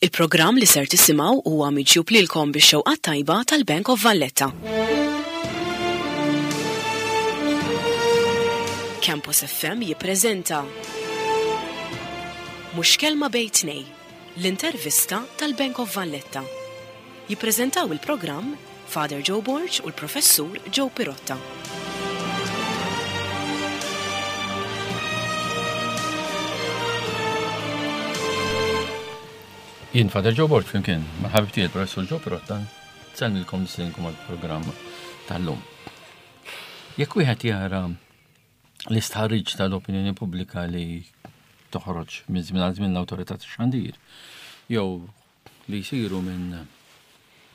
Il-programm li ser tisimgħu huwa miġjub lilkom bix-xewqat tajba tal-Bank of Valletta. Campus FM jippreżenta Mhux Kelma Bejn Tnej, l-intervista tal-Bank of Valletta. Jippreżentaw il-programm Father Joe Borg u l-Professur Joe Pirotta. Jien Father Joe Borg flimkien ma' ħabib tiegħi il-Professur Joe Pirotta nsellmilkom nistiedinkom għall-programm tal-lum. Jekk wieħed jara l-istħarriġ tal-opinjoni pubblika li toħroġ minn żmien għal żmien l-awtorità tax-xandir jew li jsiru minn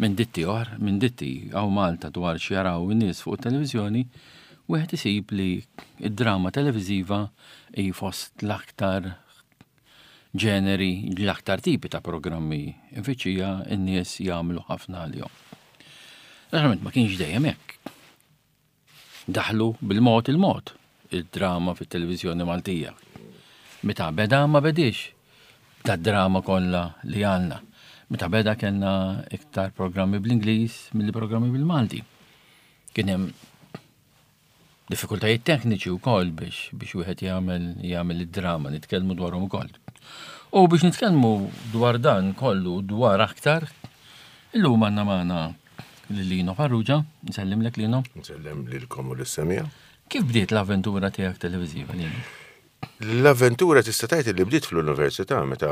minn ditti oħra, minn ditti hawn Malta dwar x'jaraw in-nies fuq it-televiżjoni, wieħed isib li d-drama televiżiva hi fost l-aktar ġeneri, l-aktar tipi ta' programmi mfittxija n-nies jagħmlu ħafna għalihom. Naturalment ma kienx dejjem hekk. Daħlu bil-mod il-mod id-drama fit-televiżjoni Maltija. Meta beda ma bediex b'dad-drama kollha li għandna. Meta beda kellna iktar programmi bl-Ingliż milli programmi bil-Malti. Kien hemm diffikultajiet tekniċi wkoll biex biex wieħed jagħmel jagħmel id-drama, nitkellmu dwarhom ukoll. U biex nitkellmu dwar dan kollu dwar aktar, illum għandna magħna Lil Lino Farrugia, nsellimlek Lino. Nsellem lilkom u lis-semija. Kif bdiet l-avventura tiegħek televiżiva Lino? L-avventura tista' tgħid li bdiet fl-università meta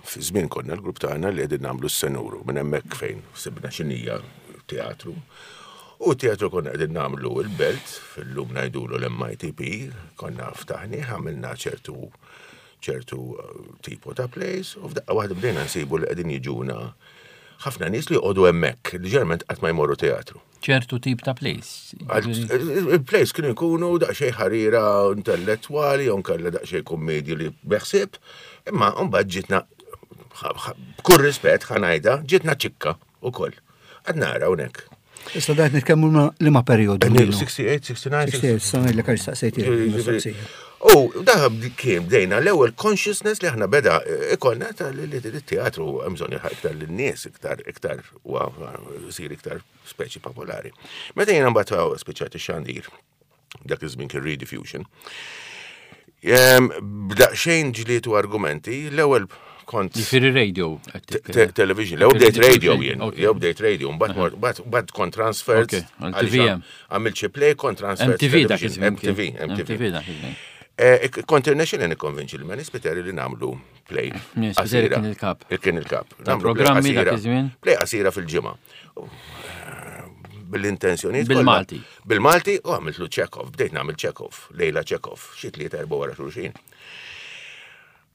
fi żmien konna l-grupp tagħna li qegħdin nagħmlu s-senuru minn hemmhekk fejn sibna x'inhija teatru. U teatru konna qegħdin nagħmlu l-belt, fil-lum ngħidulu l-MITP, konna ftaħni, għamilna ċertu ċertu eh, tipo ta' plays u f'daqqa waħda bdejna nsibu li qegħdin jiġuna ħafna nies li joqogħdu hemmhekk, li ġeneralment qatt ma jmorru teatru. Ċertu tip ta' plays. Il-plays kienu jkunu daqsxejn ħarira intellettwali, jew kellha daqsxejn kummedji li beħsieb, imma mbagħad ġitna b'kull rispett ħanajda, ġitna ċikka ukoll. Għad nara hawnhekk. Issa dajt nitkellmu li ma periodu. 68, 69. 68, sa ngħidlek għax staqsejt mistoqsija. U da kien bdejna l-ewwel consciousness li aħna beda eh, ikollna ta' li teatru hemm bżonn jilħaq iktar lin-nies iktar iktar u jsir iktar speċi popolari. Meta jiena mbagħad spiċċat ix-xandir, dak iż-żmien kien rediffusion. B'daqsxejn ġlied u argumenti, l-ewwel kont. Jiġifieri radio. Television, l-ewwel bdejt radio jien, jew bdejt radio, mbagħad kont transferred. TVM. Għamilt xi play kont transferred. MTV dak iż-żmien. MTV, MTV. dak iż-żmien. Eh, kont irnexxili nikkonvinċi li Manny Spiteri li nagħmlu play. Spiteri kien il-kap. Kien il-kap. Programmi dak iż-żmien. Play qasira fil-ġimgħa bil-intenzjoni. Bil-Malti. Bil-Malti u għamiltlu Chekhov, bdejt nagħmel Chekhov, Lejla Chekhov, xi tliet erba' wara xulxin.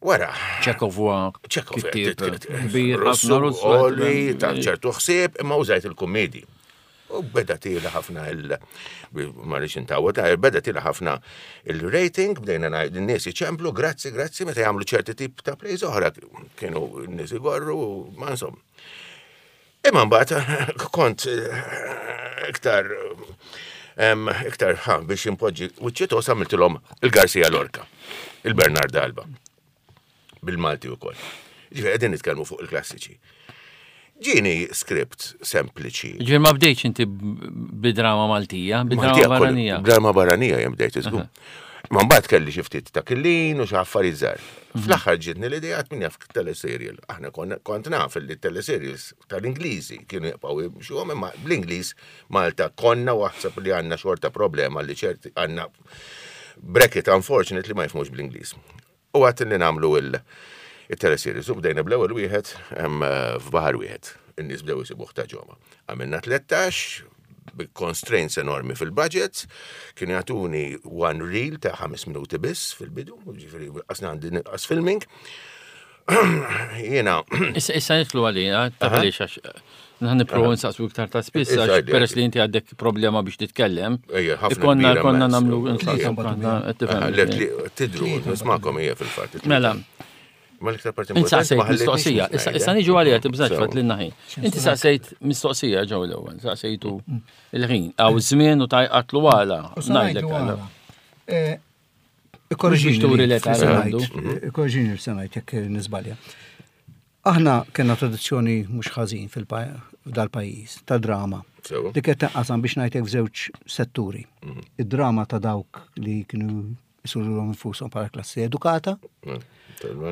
Wara. Chekhov huwa Chekhov kittieb kbir ħafna Russu. Oli ta' ċertu ħsieb imma użajt il-kummedji. U beda tila ħafna il ma rridx intawa ta' beda tila ħafna il-rating, bdejna ngħid in-nies iċemplu, grazzi, grazzi, meta jagħmlu ċerti tip ta' plays oħra kienu n-nies igorru, ma insomma. Imma mbagħad kont eh, iktar iktar ħa biex impoġġi wiċċitos għamiltilhom il-Garcia Lorca, il-Bernard Alba. Bil-Malti wkoll. Ġifieri qegħdin nitkellmu fuq il-klassiċi. Ġieni script sempliċi. Ġifieri ma bdejtx inti bidrama Maltija, bidrama barranija. Drama barranija jem bdejt iżgur. Ma mbagħad kelli xi ftit ta' killin u xi affarijiet żgħar. Mhm. Fl-aħħar ġietni l-idea min jaf teleserial. Aħna kont naf li teleserials tal-Ingliżi kienu jibqgħu jimxuhom imma bl-Ingliż Malta konna waħseb li għandna xorta problema li ċerti għandna bracket unfortunately ma jifhmux bl-Ingliż. U għat li nagħmlu il-teleseries u bdejna bl-ewwel wieħed f'baħar wieħed. In-nies bdew isibuh ta' ġoma. Għamilna 13 bi constraints enormi fil-budget, kienu jagħtuni one reel ta' 5 minuti biss fil-bidu, ġifieri qasna għandi nqas filming. Jiena. Issa issa nidħlu għalina, ta' għaliex għax Nħan niprofaw nsaqsu iktar ta' spiss, għax peress li inti għandek problema biex titkellem. Konna konna namlu nsaqsu Tidru, nismakom hija fil-fatt. Mela. Ma l-iktar parti Inti saqsejt mistoqsija, issa niġu għalija tibżax fatt lilna ħin. Inti saqsejt mistoqsija ġew l-ewwel, saqsejtu il-ħin, għaw żmien u tajqatlu għala. Ngħidlek għala. Eh, Ikkorġini. Turi l-età Ikkorġini l-senajt jekk nisbalja. Aħna kellna tradizzjoni mhux ħażin f'dal-pajjiż ta' drama. Li kienet tinqasam biex ngħidlek f'żewġ setturi. Id-drama ta' dawk li kienu jsurulhom infushom bħala klassi edukata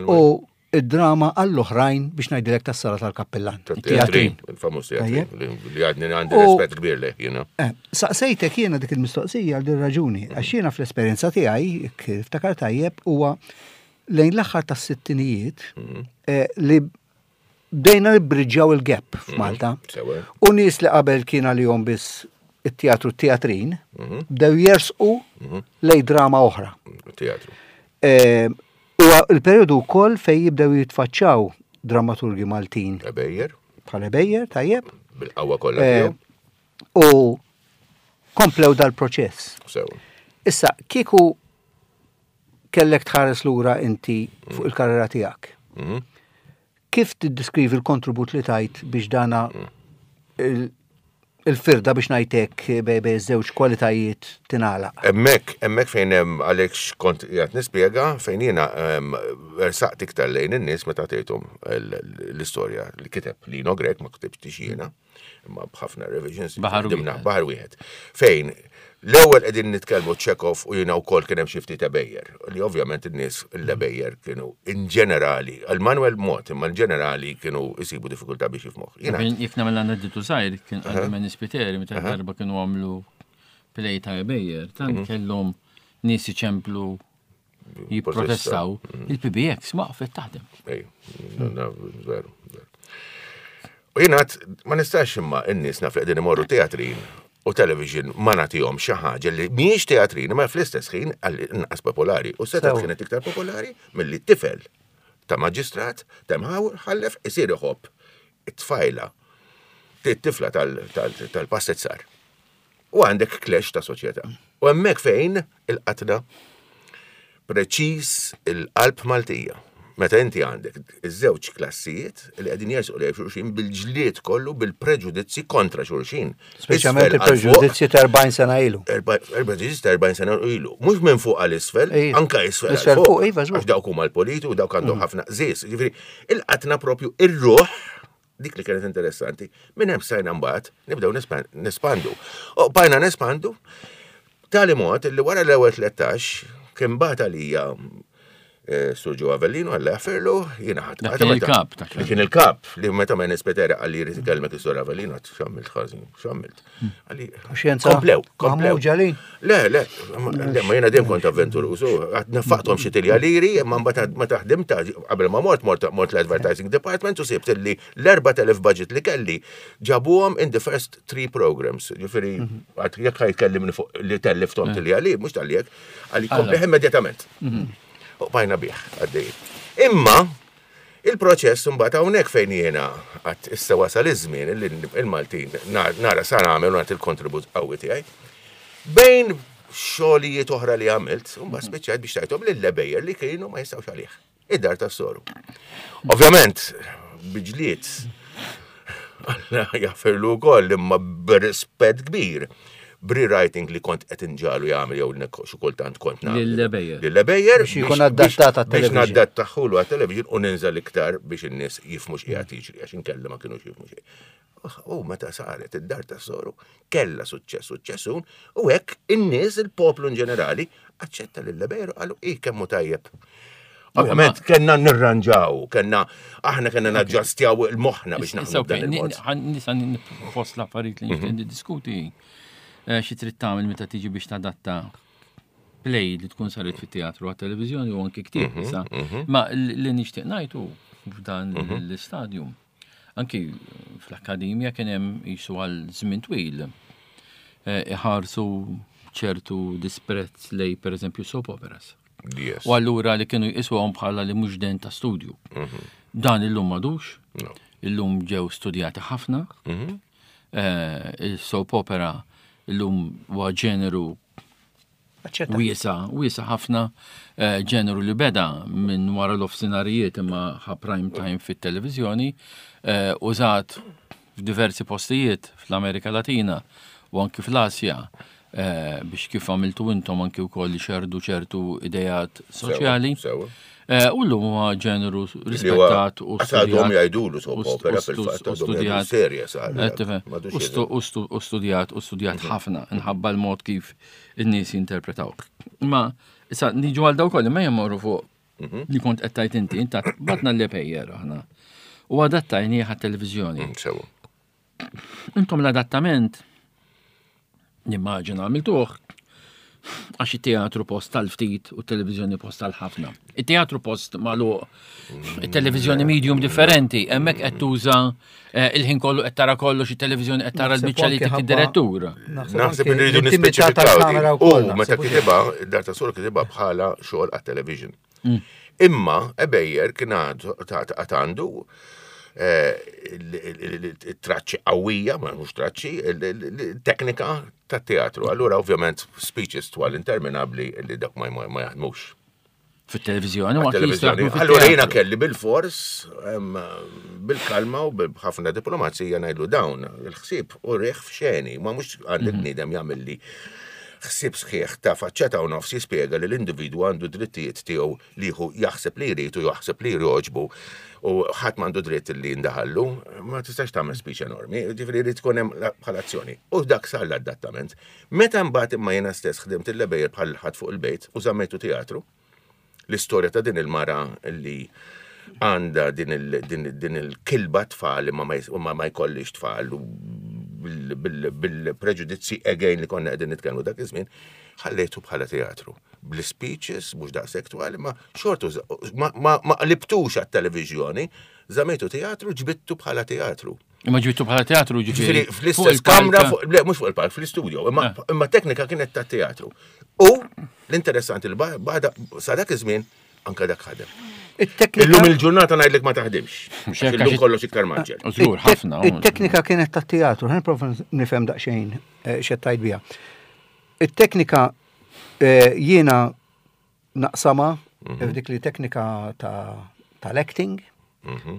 u id-drama għall-oħrajn biex ngħidilek tas-sala tal-kappillan. Teatrin, il-famuż teatrin, li għadni għandi rispett kbir leh, jiena. Saqsejtek jiena dik il-mistoqsija għal din raġuni, għax jiena fl-esperjenza tiegħi, kif ftakar tajjeb, huwa lejn l-aħħar tas-sittinijiet li bdejna nibbriġġjaw il-gap f'Malta. U nies li qabel kien għalihom biss it-teatru teatrin, bdew jersqu lej drama oħra. Teatru. Huwa il-perjodu wkoll fejn jibdew jitfaċċaw dramaturgi Maltin. Ebejer. Bħal Ebejer, tajjeb. Bil-qawwa kollha tiegħu. U komplew dal-proċess. Sewa. Issa, kieku kellek tħares lura inti fuq il-karriera tiegħek. Kif tiddiskrivi l-kontribut li tajt biex dana il-firda biex ngħidlek bej żewġ kwalitajiet tingħalaq? Hemmhekk fejn hemm għalhekk x'kont qiegħed nispjega fejn jiena ersaqt iktar lejn in-nies meta tgħidhom l-istorja li kiteb Lino Grech, ma ktibtix jiena, imma b'ħafna revisions. Baħar Ħdimna wieħed. Baħar wieħed. Fejn l-ewwel qegħdin nitkellmu Chekhov u jiena wkoll kien hemm xi ftit Ebejer, li ovvjament in-nies l-Ebejer kienu in ġenerali, għal Manuel mod, imma in ġenerali kienu jsibu diffikultà biex jifhmuh. Jiena Jekk nagħmel aneddotu żgħir, kien għal Manny Spiteri meta darba kienu għamlu play ta' Ebejer, tant kellhom nies iċemplu jipprotestaw, il-PBX waqfet taħdem. Ej, veru, veru. U jiena ma nistax imma n-nies naf li qegħdin imorru teatrin u television ma nagħtihom xi ħaġa li mhijiex teatrin imma fl-istess ħin għal inqas popolari. U setgħet kienet iktar popolari milli tifel ta' maġistrat ta' mħallef isir iħobb it-tfajla, it-tifla tal-pastezzar. U għandek clash ta' soċjetà. U hemmhekk fejn il-qatna preċiż il-qalb Maltija. Meta inti għandek iż-żewġ klassijiet li qegħdin jersqu lejn xulxin bil-ġlied kollu bil-preġudizzi kontra xulxin. Speċjalment il-preġudizzji ta' 40 sena ilu. Il-preġudizzji ta' 40 sena ilu. Mhux minn fuq għal isfel, anka isfel Isfel għal fuq, iva, żgur. Għax dawk huma l-politi u dawk għandhom ħafna qżież. Ġifieri, il-qatna propju ir-ruħ dik li kienet interessanti, minn hemm stajna mbagħad nibdew nespandu. U bajna nespandu tali mod li wara l-ewwel 13 kien bagħat għalija Sur Joe Avellino għalla jaffirlu, jiena ħadd. Dak kien il-kap, dak Li kien il-kap, li meta ma nispetera għalli jrid ikellmek is-Sur Avellino, għad x'għamilt ħażin, x'għamilt. Għalli, Xjenza. Komplew, komplew. Maħmuġa li? Le, le, le, ma jiena dejjem kont avventuruż, għad nefaqthom xi tilja liri, imma mbagħad meta ħdimt qabel ma mort, mort, mort l-advertising department u sibt li l-4000 budget li kelli ġabuhom in the first 3 programs. Ġifieri, għad jekk ħa jkellimni fuq li tellifthom tilja li, mhux tal-jekk, għalli komplih immedjatament. U bajna bih, għaddej. Imma, il-proċess mbagħad hawnhekk fejn jiena għad issa wasal iż-żmien li il-Maltin nara sa nagħmel u nagħti l-kontribut qawwi tiegħi. Bejn xogħlijiet oħra li għamilt, mbagħad spiċċajt biex tajthom lil Ebejer li kienu ma jistgħux għalih. Id-dar tas-soru. Ovvjament, biġliet, Alla jaffirlu wkoll imma b'rispett kbir. B'rewriting li kont qed inġalu jagħmel jew xi kultant kont nagħmel. Lil Ebejer. Lil Ebejer Biex ikun adattat għat-television. Biex nadattaħulu għat-television u ninżel iktar biex in-nies jifhmu x'qiegħed jiġri għax inkella ma kinux jifhmu xejn. U meta saret id-dar tas-soru kellha suċċess, suċċessun, u hekk in-nies, il-poplu in ġenerali, aċċetta lil Ebejer u qalu i kemm hu tajjeb. Ovvjament, kellna nirranġaw, aħna kellna naġġastjaw il-moħħna biex Issa, naħdmu ok, b'dan il-mod. nisa fost l-affarijiet li nixtieq niddiskuti. Xi trid tagħmel meta tiġi biex tadatta play li tkun saret fit-teatru għat-televiżjoni u anki ktieb issa. Ma li nixtieq ngħid hu f'dan l-istadjum. Anki fl-akkademja kien hemm qisu għal żmien twil iħarsu ċertu disprezz lej pereżempju soap operas. U allura li kienu jqisuhom bħala li mhux den ta' studju. Dan illum m'għadux. No. Illum ġew studjati ħafna. Il-soap opera illum huwa ġeneru Aċċetta. wiesa, wiesa ħafna, ġeneru li beda minn wara l-offsinarijiet imma ħa prime time fit-televiżjoni, użat f'diversi postijiet fl-Amerika Latina u anki fl-Asja. eh, biex kif għamiltu intom anki wkoll li xerdu ċertu idejat soċjali. Sewa. Eh, U llum huwa ġeneru rispettat u Għadhom jgħidulu soap opera fil-fatt, u għadhom jgħidu studjat. serja sar. Eh, tifhem. M'għadux U stu- u stu- U studjat, u studjat ħafna, nħabba l-mod kif in-nies jinterpretaw. Ma, issa, niġu għal daw kolli, ma jemmorru fuq li kont qed tajt inti, inta batna l-epejjer aħna. U adattajni għat-televizjoni. Sewa. Intom l-adattament, nimmaġina għamiltuh, għax it-teatru post tal-ftit u t-televizjoni post tal-ħafna. Il-teatru post magħluq, it-televizjoni medium differenti, hemmhekk qed tuża eh, il-ħin kollu qed tara kollox, it-televizjoni qed tara Naħseb l-biċċa li anke tik ħabba- id-direttur. Naħseb anke irridu l-intimità nispeċifikaw. tal-kamera din. wkoll, U meta naħseb, kitibha, id-dar ta' sur kitibha bħala xogħol għat-television. Imma Ebejer kien għadu ta' għandu eh, il-traċċi qawwija, ma mhux traċċi, il-teknika tat-teatru. Allura ovvjament speeches twal interminabbli li dak ma ma jaħdmux. Fit-televizjoni, u anki Televizjoni. jistgħu Allura jiena kelli bil-fors, em, bil-kalma u b'ħafna diplomazija ngħidlu dawn il-ħsieb u riħ f'xeni, ma mhux għandek bniedem jagħmel li ħsieb sħiħ ta' faċċata u nofs jispjega li l-individwu għandu drittijiet tiegħu li hu jaħseb li jrid u jaħseb li jroġbu u ħadd m'għandu dritt li jindaħallu, ma tistax tagħmel speech enormi, ġifieri jrid tkun hemm bħala azzjoni. U dak sar l-adattament. Meta mbagħad imma jiena stess ħdimt il-lebejjer bħal ħadd fuq il-bejt u żammejtu teatru, l-istorja ta' din il-mara li għanda din il- din- din il-kilba tfal imma ma jis- ma ma jkollix tfal u bil- bil- bil-preġudizzi again li konna qegħdin nitkellmu dak iż-żmien, ħallejtu bħala teatru. Bl-speeches, mhux daqshekk twal, imma xortu ma- ma ma qlibtux għat-televiżjoni, żamejtu teatru, ġbittu bħala teatru. Imma ġibtu bħala teatru Ġifieri ġifieri. fuq fl-istess il-palk. kamra, fuq- le, mhux fuq il-palk, fl-istudio, imma imma teknika kienet ta' teatru. U l-interessanti li ba- bada sa dak iż-żmien anka dak ħadem. It-teknika Illum il-ġurnata ngħidlek ma taħdimx. Mhux Għax hekk Illum għax- kollox iktar maġġel. U Żgur ħafna. u- It-teknika kienet ta' teatru, ħan prova nifhem daqsxejn eh, x'qed tgħid biha. It-teknika eh, jiena naqsama f'dik li teknika ta' tal-acting,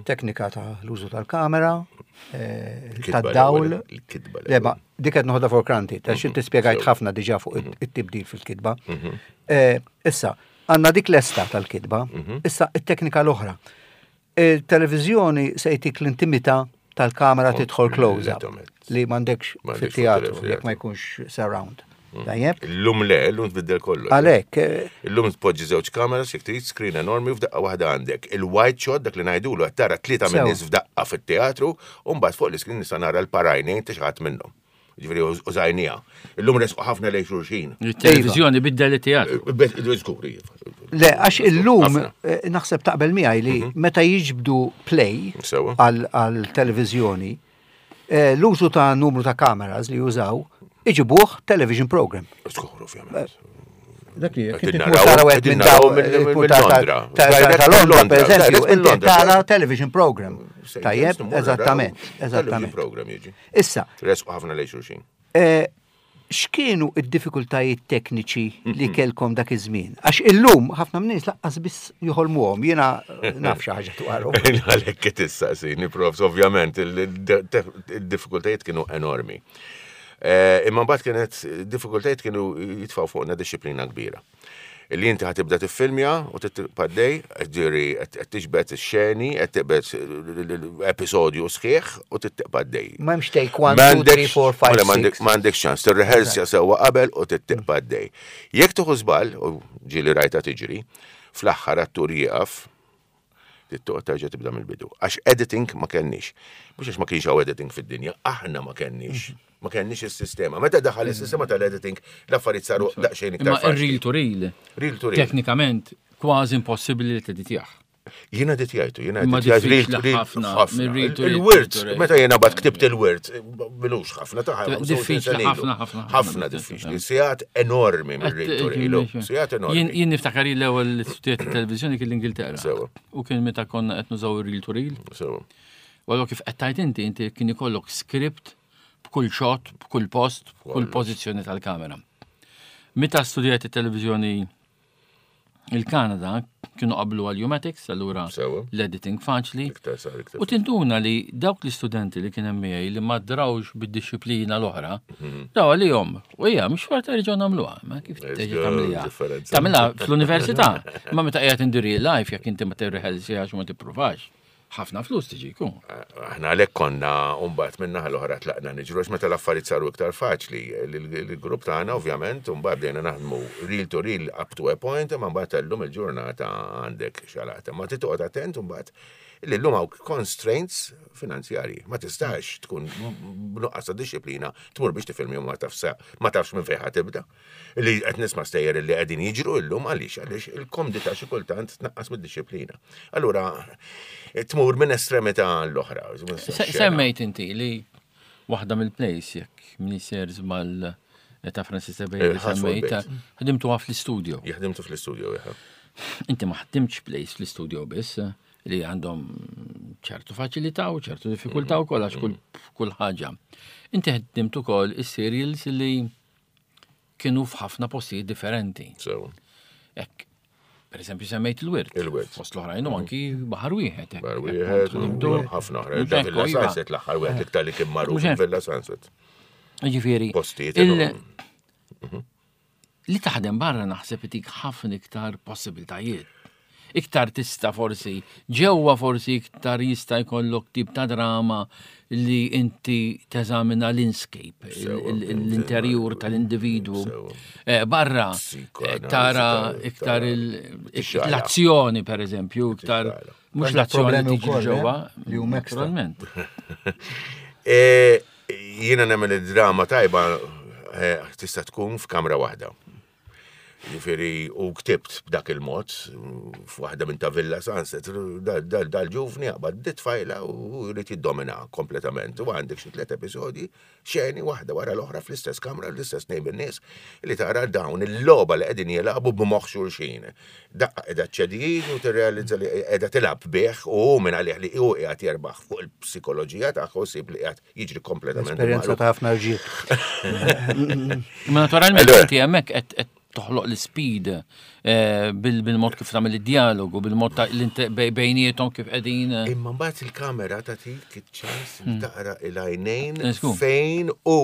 teknika ta' l-użu tal-kamera, eh, Il-kitba tad-dawl. l-ewwel, il-kitba Le, ma l-ewwel. dik qed noħodha for granted, għax inti spjegajt ħafna diġà fuq it-tibdil fil-kitba. Eh, Issa, għandna dik l-esta tal-kitba, issa it-teknika l-oħra. Il-televiżjoni se jtik l-intimità tal-kamera tidħol close-up Kompletament. li m'għandekx M'għandekx fit-teatru fit-teatru. jekk ma jkunx surround. Tajjeb? Illum le, illum tbiddel kollox. Għalhekk, eh, Illum tpoġġi żewġ kameras, jekk trid screen enormi u f'daqqa waħda għandek. Il-white shot dak li ngħidulu qed tara tlieta minn Sew. nies f'daqqa fit-teatru u mbagħad fuq l-iskrin nista' nara l-parajnejn ta' xi ħadd minnhom. Ġifieri użajnija. Illum resqu ħafna lejn xulxin. Il-televizjoni biddel it-teatru. Żgur, iva. Le, għax illum Ħafna. eh, naħseb taqbel miegħi li meta jiġbdu play Sewa. għal għal televizjoni, eh, l-użu ta' numru ta' kameras li jużaw, iġibuh television program. Żgur, ovvjament. Dak li Qegħdin inti naraw- tmur tara wieħed qegħdin minn naraw daw mill- tmur ta' mill-Londra. ta' Direct ta' Londra, mill-Londra, per eżempju, direct inti mill-Londra. tara television program. Tajjeb, Sejjer, eżattament, Television eżattament. program jiġi. Issa, Resqu ħafna lejn xulxin. eh, x'kienu id-diffikultajiet tekniċi li kelkom dak iż-żmien? Għax illum ħafna minn nies laqqas biss joħolmuhom, jiena naf xi ħaġa dwarhom. Għalhekk qed issaqsini, profs, ovvjament, il-diffikultajiet kienu enormi. Eh, Imma mbagħad kienet diffikultajiet kienu jitfgħu fuqna disċiplina kbira. Illi inti ħatibda tiffilmja u titpaddej, ġiri qed tiġbed ix-xeni, qed tibed episodju sħiħ u titpaddej. M'hemmx take 1, 2, 3, 4, 5, 6. M'għandekx ċans, tirrehersja sewwa qabel u tittiqpa għaddej. Jekk tieħu żball, u ġieli rajta tiġri, fl-aħħar attur jieqaf, tittoq terġa' tibda mill-bidu. Għax editing ma kenniex. Mhux għax ma kienx hawn editing fid-dinja, aħna ma kenniex. Mhm. Ma kenniex is-sistema. Meta daħal is-sistema tal-editing, l-affarijiet saru daqsxejn Imma iktar ir-real faċli. to real. Real to real. Teknikament, kważi impossibbli li teditjah. Jiena ditjajtu, jiena Imma ditjajtu real diffiċli to real ħafna, ħafna. mir-real to real Il-wirt, to real. meta jiena bad ktibt il-wirt, bilux ħafna ta' Diffiċli ħafna, ħafna, ħafna diffiċli. Sigħat enormi mir-real to real. Sigħat Jien enormi. jien niftakar li l-ewwel li studjat it-televiżjoni kien l-Ingilterra. Sewa. U kien meta konna qed nużaw ir-real to real. Sewa. U allura kif qed tajt inti, inti kien ikollok script b'kull shot, b'kull post, b'kull pożizzjoni tal-kamera. Meta studjat it-televiżjoni Il-Kanada kienu qablu għal U-Matics, allura l-editing faċli. U tinduna li dawk l-istudenti li kien hemm miegħi li ma drawx bid-disciplina l-oħra, mhm. daw għalihom, u hija mhux xorta jerġgħu nagħmluha, ma kif terġa' tagħmilha. Tagħmilha fl-università, ma meta qiegħed in real life jekk inti ma tirriħelsiex għax ma tippruvax ħafna flus tiġi jkun. Aħna għalhekk konna mbagħad minn naħa l-oħra tlaqna niġru għax meta l-affarijiet saru iktar faċli. Il-grupp tagħna ovvjament mbagħad bdejna naħdmu reel to reel up to a point imma mbagħad illum il-ġurnata għandek xalata. Ma trid toqgħod attent mbagħad li llum hawn constraints finanzjarji. Ma tistax tkun b'nuqqas ta' disciplina tmur biex tifilmi u ma tafx ma tafx minn fejn tibda. Li qed nisma' stejjer li qegħdin jiġru llum għaliex għaliex il-komdità xi kultant tnaqqas mid-disciplina. Allura tmur minn estremità l-oħra. Semmejt inti li waħda mill-plays jekk minister żball ta' Francis Ebej semmejt, ħdimtu fl-istudio. Ħdimtu fl-istudio, Inti ma ħdimtx plays fl-istudio biss, li għandhom ċertu faċilità u ċertu diffikultà wkoll għax kull kull ħaġa. Inti ħdimt ukoll is-serials li kienu f'ħafna postijiet differenti. Sew. Ek, per eżempju semmejt il-wirt. Il-wirt. Fost l-oħrajn u anki baħar wieħed. Baħar wieħed, ħafna oħra. Villa iva. Sunset l-aħħar wieħed iktar li kien magħruf Villa Sunset. Ġifieri. Postijiet. Mhm. Li taħdem barra naħseb itik ħafna iktar possibiltajiet. Iktar tista' forsi, ġewwa forsi iktar jista' jkollok tip ta' drama li inti teżamina l-inscape, l-interjur tal-individwu. Eh, barra eh, tara iktar l-azzjoni per eżempju, iktar mhux l-azzjoni tiġi eh, ġewwa. Li huma naturalment. Jiena nemmen id-drama tajba eh, tista' tkun f'kamra waħda. Ġifieri u ktibt b'dak il-mod f'waħda minn ta' Villa Sunset, dal-ġuvni jaqbad dit tfajla u jrid jiddomina kompletament. U għandek xi tliet episodji, xeni waħda wara l-oħra fl-istess kamra, l-istess nejn bin-nies, li tara dawn il-logħba li qegħdin jilagħbu b'moħħ xulxin. Daqqa qiegħda ċċedih u tirrealizza li qiegħda tilgħab bih u hu minn għalih li hu qiegħed jerbaħ fuq il-psikoloġija tagħha u ssib li qiegħed jiġri kompletament. Esperjenza ta' ħafna rġiel. Imma naturalment inti hemmhekk qed toħloq l-speed eh, bil-mod kif tagħmel id-dialogu, bil-mod ta' bejniethom kif qegħdin. Eh. Imma mbagħad il-kamera tagħtik iċ-ċans li hmm. taqra il-għajnejn fejn u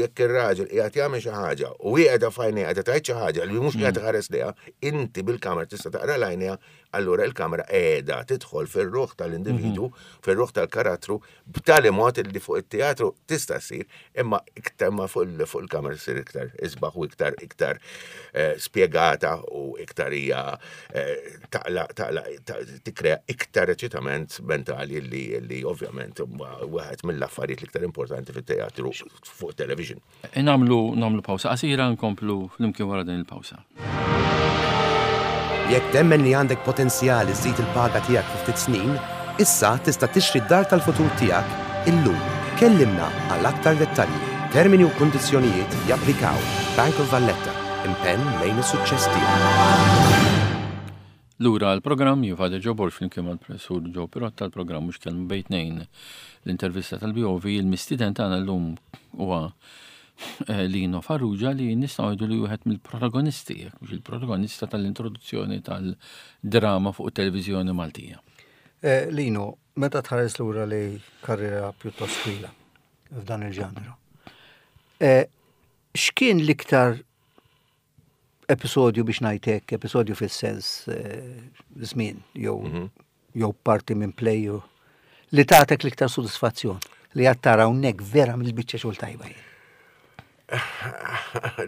jekk ir-raġel qiegħed jagħmel xi ħaġa u hi qiegħda f'għajnejha qiegħda tgħid xi ħaġa li mhux qiegħed hmm. ħares lejha, inti bil-kamera tista' taqra l-għajnejha, allura il-kamera qiegħda tidħol fir-ruħ tal-individwu, hmm. fir-ruħ tal-karattru b'tali mod li fuq it-teatru tista' ssir, imma iktar ma fuq il-kamera ssir iktar isbaħ u iktar iktar eh, spjegata u iktar hija eh, taqla taqla tikkrea iktar eċitament mentali li li ovvjament wieħed mill-affarijiet l-iktar importanti fit-teatru fuq television. Namlu namlu pawsa qasira nkomplu flimkien wara din il-pawsa. Jekk temmen li għandek potenzjal iżżid il-paga tiegħek fi ftit snin, issa tista' tixtri d-dar tal-futur tiegħek illum. Kellimna għal aktar dettalji. Termini u kundizzjonijiet japplikaw. Bank of Valletta, impenn lejn is-suċċess tiegħek. Lura għall-programm, jien Father Joe Borg flimkien mal-Professur Joe Pirotta, l-programm mhux kelma bejn tnejn, l-intervista tal-BOV, il-mistieden tagħna llum huwa eh, Lino Farrugia li nistgħu ngħidu li wieħed mill-protagonisti, jekk mhux il-protagonista tal-introduzzjoni tal-drama fuq it-televiżjoni Maltija. Eh, Lino, meta tħares lura li karriera pjuttost twila f'dan il-ġanru, eh, x'kien l-iktar episodju biex ngħid hekk, episodju fis-sens eh, żmien jew mhm. jew parti minn play li tagħtek l-iktar sodisfazzjon li għad tara hawnhekk vera mill-biċċa xogħol tajba jien.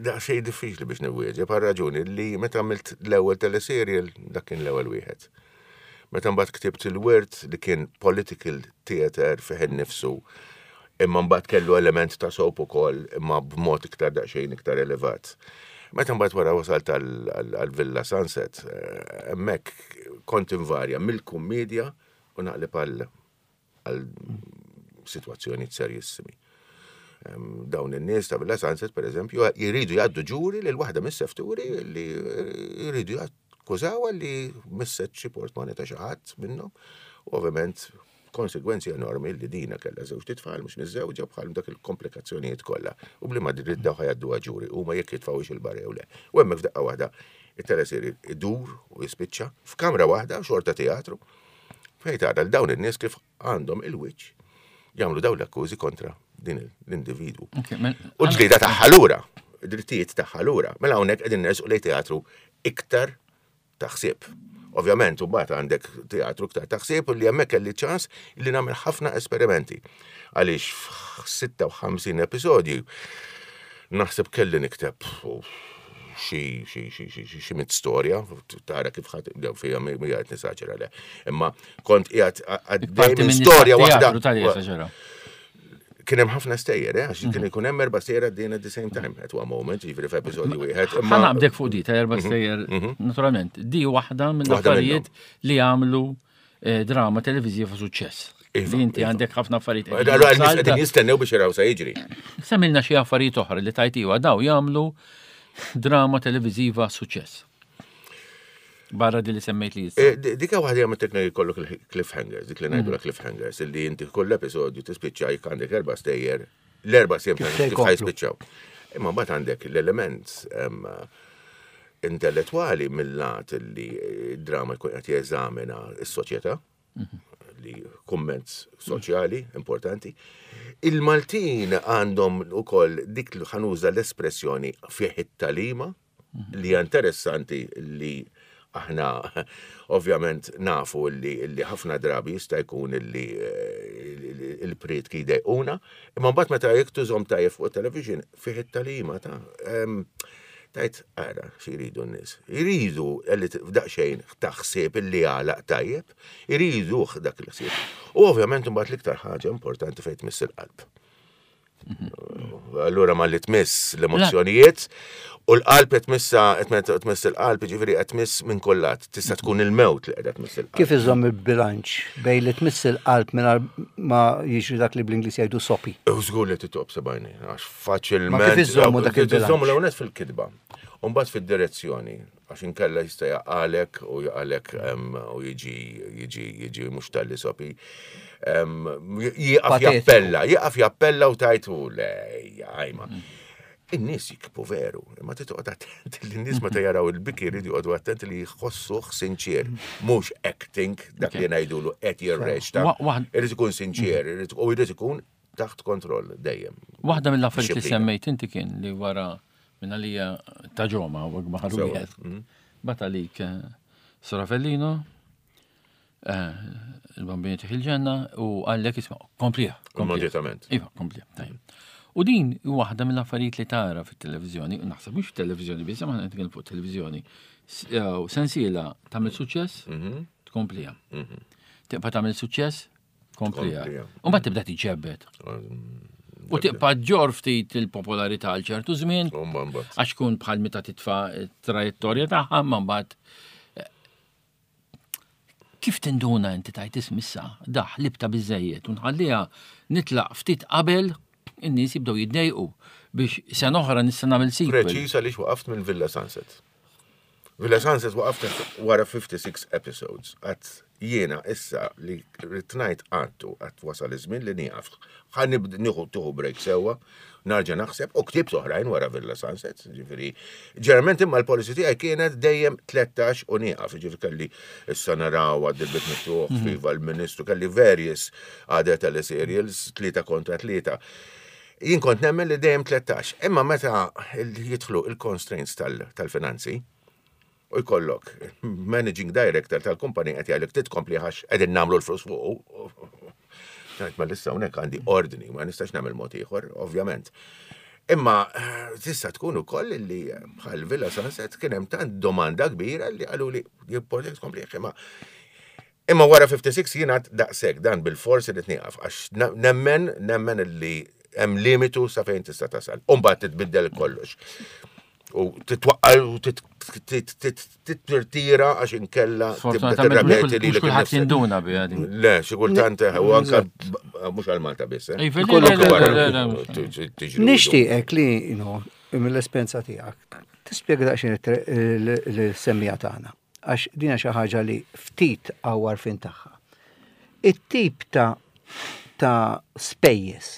Da xej diffiċli biex niwieġeb għal raġuni li meta għamilt l-ewwel teleserial dak kien l-ewwel wieħed. Meta mbagħad ktibt il-wirt li kien political theater fih innifsu, imma mbagħad kellu element ta' soap ukoll imma b'mod iktar daqsxejn iktar elevat. Meta mbagħad wara wasalt għal Villa Sunset, eh, hemmhekk kont invarja mill-kummedja u naqleb għal għal sitwazzjonijiet serjissimi. Dawn in-nies ta' Villa Sunset, per eżempju, jridu jgħaddu ġuri lil waħda mis-sefturi li jridu jakkużawha li misset xi portmoni ta' xi ħadd minnhom. U ovvjament Konsegwenzi enormi li dina kellha żewġt itfal mhux miżżewġa bħal dak il-komplikazzjonijiet kollha. U bliema dritt daw ħa jgħadduha ġuri huma jekk jitfgħuhiex il-barra jew le. U hemmhekk f'daqqa waħda it-teleserje idur u jispiċċa f'kamra waħda xorta teatru fejn tara l dawn in-nies kif għandhom il-wiċċ jagħmlu dawn l-akkużi kontra din l-individwu. U l-ġlieda tagħha lura, drittijiet tagħha lura. Mela hawnhekk qegħdin nersqu lejn teatru iktar ta' ħsieb. Ovvjament, u mbagħad għandek teatru iktar ta' ħsieb u li hemmhekk kelli ċans li nagħmel ħafna esperimenti. Għaliex f'56 episodju naħseb kelli nikteb xi xi xi xi xi xi mit storja tara kif ħadd jew fija mi qed nisaġera le. Imma kont qiegħed għaddej minn storja waħda. Kien hemm ħafna stejjer, eh, għax kien mhm. ikun hemm erba' stejjer għaddejn at the same time at one moment, jiġifieri f'episodju wieħed. Ħa naqbdek fuq di ta' erba' mhm, stejjer, mhm. naturalment, di waħda mill-affarijiet li għamlu eh, drama televiżiva suċċess. Iva, li inti iva. għandek ħafna affarijiet. Allura n-nies qegħdin jistennew biex jaraw sa jiġri. Semmilna xi affarijiet oħra li tajt iva daw jagħmlu drama televiżiva suċċess. Barra di li semmejt li jista. Eh, dik waħda jagħmel teknika jkollok il-cliffhangers, dik li ngħidu mm. cliffhangers, illi inti kull episodju tispiċċa jekk għandek erba' stejjer, l-erba' sejjer kif ħajspiċċaw. Imma mbagħad għandek l-element intellettwali mill-lat li drama jkun qed jeżamina s-soċjetà, mhm. li kumment soċjali importanti. Il-Maltin għandhom ukoll dik li ħanuża l-espressjoni fih it-talima, li hija interessanti li aħna ovvjament nafu li, li ħafna drabi jista' jkun li eh, il-prietki jdejquna, imma mbagħad meta jekk tużhom tajjeb fuq television fih it-talima ta' tajt ara xi jridu n-nies. Jridu li daqsxejn ta' ħsieb illi għalaq tajjeb, jriduh dak il-ħsieb. U ovvjament imbagħad l-iktar ħaġa importanti fejn tmiss il-qalb. Allura ma li tmiss l-emozzjonijiet u l-qalb qed tmissa qed tmiss il-qalb, jiġifieri qed tmiss minn kullat. Tista' tkun il-mewt li qiegħda tmiss il-qalb. Kif iżomm il-bilanċ bejn li tmiss il-qalb mingħajr ma jiġri dak li bl-Ingliż jgħidu sopi? Żgur li titob sebajni, għax faċilment. Ma kif iżommu dak il-bilanċ? Iżommu l-ewwel fil-kitba. U mbagħad fid-direzzjoni. Għax inkella jista' jaqalek u jaqalek u jiġi jiġi jiġi mhux tal-li sopi. Jieqaf jappella, jieqaf jappella u tajtu le għajma. Mm. In-nies jikbu veru, imma titqgħod attent li n-nies meta jaraw il-biki jridu joqogħdu attenti li jħossuh sinċier, mhux acting dak li ngħidulu qed jirreċta. Irid ikun sinċier, u jrid ikun taħt kontroll dejjem. Waħda mill-affarijiet li semmejt inti kien li wara Minn għalija ta' ġoma u baħar wieħed. Mm. Bat għalik eh, Sora Fellino, eh, il-bambini tiħ il-ġenna u għallek isma' komplija. Immedjatament. Iva, komplija. Tajjeb. U din waħda mill-affarijiet li tara fit-televiżjoni, u naħseb mhux fit-televiżjoni biss, ma nitkellem fuq televiżjoni. Eh, sensiela tagħmel suċċess, mhm. tkomplija. Mhm. Tibqa' tagħmel suċċess, Komplija. U mbagħad tibda tiġġebbed. U tibqa' ġor ftit il-popolarità għal ċertu żmien. Għax kun bħal meta titfa' trajettorja tagħha, ma mbagħad eh, kif tinduna inti tajt ismissa daħ libta biżejjed u nħalliha nitlaq ftit qabel in-nies jibdew jiddejqu biex sena oħra nista' nagħmel sequel. Preċiż għaliex waqaft minn Villa Sunset. Villa Sunset waqaft wara 56 episodes. Għat jiena issa li rrid ngħid għattu għat wasal iż-żmien li nieqaf. Ħa nieħu tieħu break sewwa, narġa' naħseb u ktibt oħrajn wara Villa Sunset, ġifieri. Ġeneralment imma l-policy tiegħi kienet dejjem 13 u nieqaf, ġifieri kelli issa naraw għad il-bib miftuħ, mhm. viva l-Ministru, kelli various other teleserials, tlieta kontra tlieta. Jien kont nemmen li dejjem 13, imma meta jidħlu il-constraints tal-finanzi, u jkollok managing director tal-kumpanija qed jgħidlek titkompli għax qegħdin nagħmlu l-flus fuq. Ngħid ma lissa hawnhekk għandi ordni, ma nistax nagħmel mod ieħor, ovvjament. Imma eh, tista' tkun ukoll li bħal Villa Sunset kien hemm tant domanda kbira li qalu li jipportek tkompli imma Imma wara 56 jien għad daqshekk dan bilfors irid nieqaf għax nemmen nemmen li hemm limitu sa fejn tista' tasal. U mbagħad titbiddel kollox. U titwaqqal u titirtira għax inkella tibda tirrepeti li kulħadd jinduna biha din. Le, xi kultant eh, u anke mhux għal Malta biss. Eh. Nixtieqek li mill-esperjenza tiegħek tispjega daqsxejn l-semmija tagħna. Għax din hija xi ħaġa li ftit hawn għarfien tagħha. It-tip ta' ta' spejjeż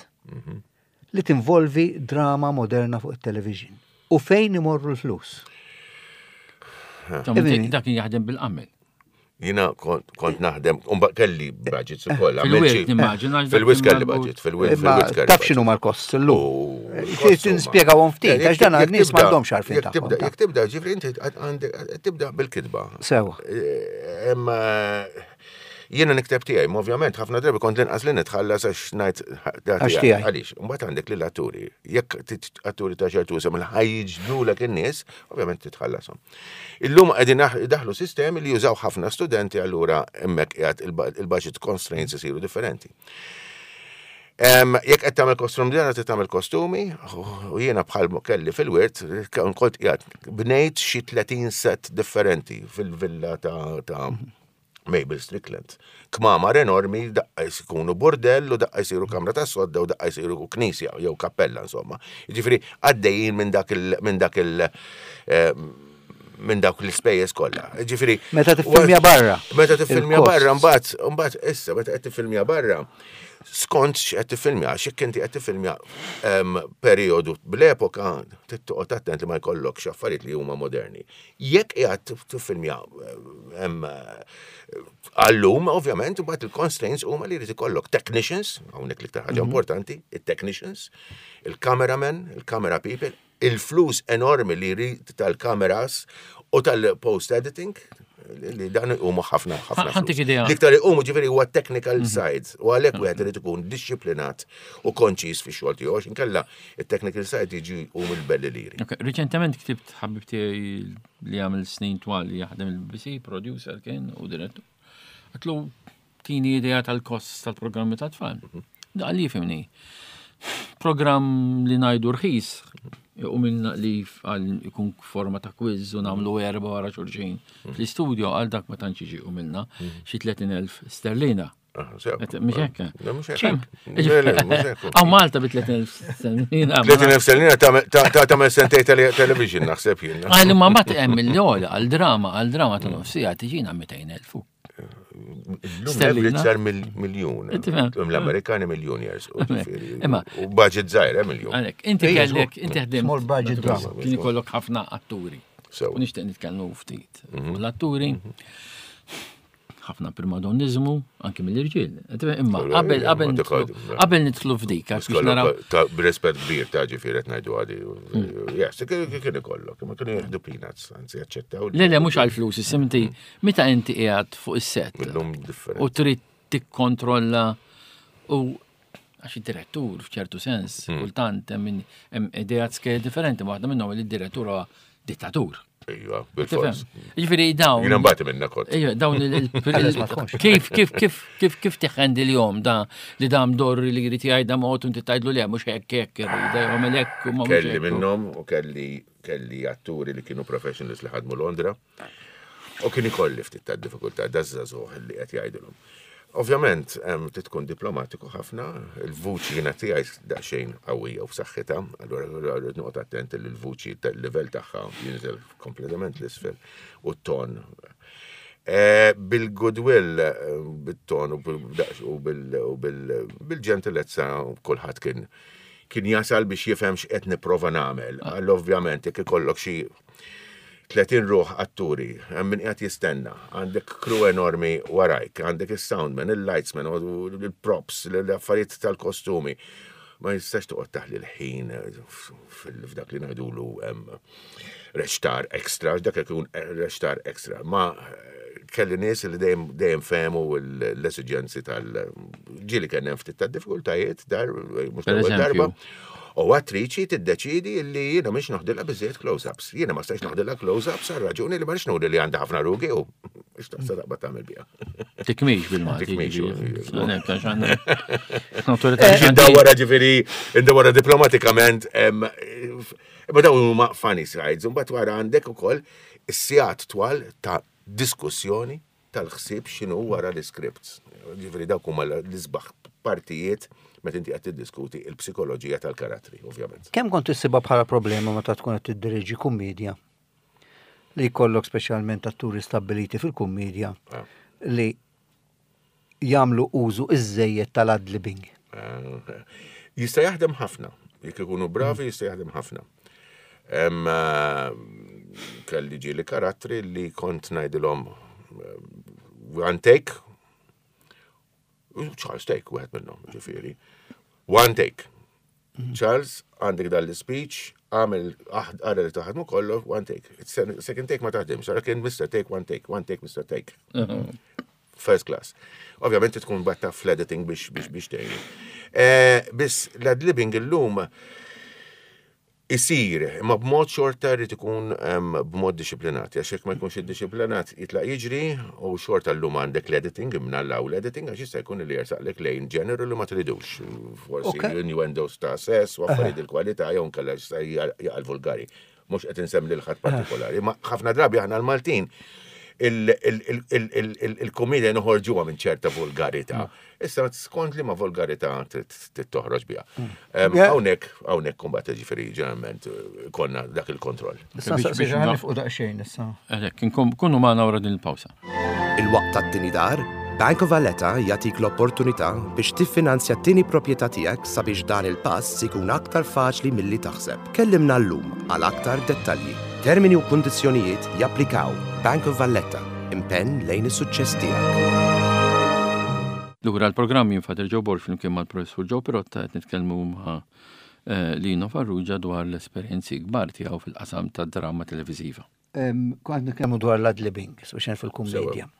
li tinvolvi drama moderna fuq it-television u fejn imorru l-flus. Dak kien jaħdem bil-qamel. Jina kont naħdem, un kelli budgets u koll. Fil-wirt, nimmaġina. Fil-wirt kelli budget, fil-wirt kelli. Taf xinu mal-kost l-lum. Nispjega għom ftit, għax dan għal-nis m'għandhomx għarfien. Jek tibda, ġifri, inti tibda bil-kitba. Sewa. Eh, Jiena nikteb tiegħi, ma ovvjament ħafna drabi kont l-inqas li nitħallas għax ngħid Għax tiegħi. Għaliex, mbagħad għandek lill atturi. Jekk atturi ta' ċertu isem li ħajġdulek in-nies, ovvjament titħallasom. Illum qegħdin daħlu sistemi li jużaw ħafna studenti allura hemmhekk qiegħed il-budget constraints isiru differenti. Jekk qed tagħmel kostum dera trid tagħmel kostumi, u jiena bħal kelli fil-wirt, kont qiegħed bnejt xi 30 set differenti fil-villa ta' Mabel Strickland. Kmamar enormi daqqa jkunu burdell u daqqa jsiru kamra ta' sodda u daqqa jsiru knisja jew kappella insomma. Jiġifieri għaddejjin minn dak il minn dak il eh, minn dawk l-ispejjeż kollha. Ġifieri Meta tiffilmja barra. Meta tiffilmja barra mbagħad mbagħad issa meta qed tiffilmja barra skont x'qed tiffilmja, x'jekk inti qed tiffilmja ehm, perjodu bl-epoka tittoqgħod attent li ma jkollokx affarijiet li huma moderni. Jekk qiegħed tiffilmja hemm għallum, ovvjament, imbagħad il-constraints huma li jrid ikollok technicians, hawnhekk l-iktar ħaġa mhm. importanti, it-technicians, il-cameraman, il-camera people, il-flus enormi li jrid tal-kameras u tal-post editing, li dan huma ħafna ħafna. L-iktar huma ġifieri huwa technical mhm. side u għalhekk wieħed irid ikun dixxiplinat u konċis fix-xogħol tiegħu għax inkella it-technical side jiġi u mill-belli liri. Riċentement ktibt ħabib tiegħi li għamil snin twal li jaħdem il-BBC, producer kien u direttur. Għatlu tini idea tal-kost tal-programmi ta' tfal. Mhm. Da li fimni. Program li najdu rħis, u minn li għal ikun forma ta' quiz u namlu erba wara xulxin mhm. fl-istudio għal dak ma tantx jiġi u minna mhm. xi 30,000 sterlina. Mhux hekk. Mhux hekk. Għaw Malta bi 30,000 sterlina. 30,000 sterlina ta' tagħmel sentej television naħseb jien. Għal ma mbagħad hemm il-għola għal drama għal drama ta' nofsija tiġina 200,000. Sterlina. Sar miljun. L-Amerikani miljun jers. Imma. U budget zaħir, eh, miljun. Għalek, inti kellek, inti ħdim. Small budget drama. Kien ikollok ħafna atturi. U nixtieq nitkellmu ftit. Mhm. L-atturi. Mhm. ħafna primadonniżmu anki mill-irġiel. Imma qabel qabel qabel nidħlu f'dik għax biex naraw. B'rispett kbir ta' ġifieri qed ngħidu għadi. Hmm. Yes, kien ikollok, imma kienu jieħdu peanuts, anzi jaċċettaw. Le le mhux għall-flus, simti meta inti qiegħed fuq is-set. U trid tikkontrolla u għax id-direttur f'ċertu sens, hmm. kultant hemm ideat skej differenti, waħda minnhom li d-direttur huwa dittatur. Iva, bil-fors. Ġifieri dawn. Jiena mbagħad minna kont. Iva, dawn il Kif kif kif kif kif tiħendi l-jom da li dam dor li jrid jgħidha mod u inti tgħidlu le mhux hekk hekk irrida jagħmel hekk u ma Kelli minnhom u kelli kelli atturi li kienu professionals li ħadmu Londra. U kien ikolli ftit ta' diffikultà daż-żagħżugħ li qed jgħidilhom. Ovvjament, trid tkun diplomatiku ħafna, il-vuċi jiena tiegħi daqsxejn qawwija u b'saħħitha, allura rrid noqgħod attent li l-vuċi tal-livell tagħha jinżel kompletament l-isfel u t-ton. Eh, bil-goodwill, eh, bit-ton u bil-ġentilezza kulħadd kien kien jasal biex jifhem x'qed nipprova nagħmel. Għall ovvjament jekk ikollok xi 30 ruħ atturi, hemm min qiegħed jistenna, għandek crew enormi warajk, għandek is-soundman, il-lightsman, il-props, l-affarijiet tal-kostumi. Ma jistax toqgħod taħli l-ħin f'dak li ngħidulu reċtar extra, dak ikun reċtar extra. Ma kelli nies li dejjem dejjem fehmu l-esiġenzi tal-ġieli kien hemm ftit ta' diffikultajiet dar mhux darba. U attriċi tiddeċidi li jiena mhix noħdilha biżejjed close-ups. Jiena ma stajx noħdilha close-ups għal raġuni li ma rridx nuri li għandha ħafna rugi u x'taqsa taqbad tagħmel biha. Tikmix bil-Malti. Tikmix. Indawwara ġifieri, indawwara diplomatikament, imma dawn huma funny sides, imbagħad wara għandek ukoll is-sigħat twal ta' diskussjoni tal-ħsieb x'inhu wara l-iscripts. Ġifieri dawk huma l-isbaħ partijiet meta inti qed tiddiskuti l-psikoloġija tal-karattri, ovvjament. Kemm kont issibha bħala problema meta tkun qed tiddiriġi kummedja li jkollok speċjalment atturi stabbiliti fil-kummedja ah. li jagħmlu użu iżżejjed tal-ad-libbing? Eh, jista' jaħdem ħafna. Jekk ikunu bravi jista' jaħdem ħafna. Eh, kelli ġieli karattri li kont ngħidilhom eh, one take, Charles take, wieħed minnhom, ġifieri. One take. Charles, għandek dan l-speech, għamel għara li taħdmu kollu, one take. Second take ma taħdimx, għara kien Mr. Take, one take, one take, Mr. Take. First class. Ovvjament tkun batta fl-editing biex biex biex tgħinu. Eh, biss l-adlibbing illum Isir, imma b'mod xorta jrid ikun b'mod dixxiplinat, għax jekk ma jkunx iddixxiplinat jitlaq jiġri u xorta llum għandek l-editing, imnallaw l-editing għax jista' jkun li jersaqlek lejn ġeneru li ma tridux. Forsi innuendos ta' sess u affarijiet il-kwalità jew inkella jista' jaqal vulgari. Mhux qed insemmi lil ħadd partikolari, ma ħafna drabi aħna l-Maltin il-komedja noħorġuha minn ċerta vulgarità. Issa skont li ma volgarità toħroġ biha. Mm. Hawnhekk hawnhekk kumbat ġifieri ġeneralment eh, konna dak il-kontroll. Issa biex nifqu daqsxejn issa. Għalhekk kunu magħna wara din il-pawsa. Il-waqt tat-tieni dar, Bank of Valletta jagħtik l-opportunità biex tiffinanzja t-tieni proprjetà tiegħek sabiex dan il-pass ikun aktar faċli milli taħseb. Kellimna llum għal aktar dettalji. Termini u kundizzjonijiet japplikaw. Bank of Valletta. Impenn lejn is-suċċess tiegħek. Lura l-programm jien Father Joe Borg flimkien mal-Professur Joe Pirotta qed nitkellmu ma' eh, Lino Farrugia dwar l-esperjenzi kbar tiegħu fil-qasam tad-drama televiżiva. Kont nitkellmu dwar l-ad-libbing, speċjalment fil-kummedja.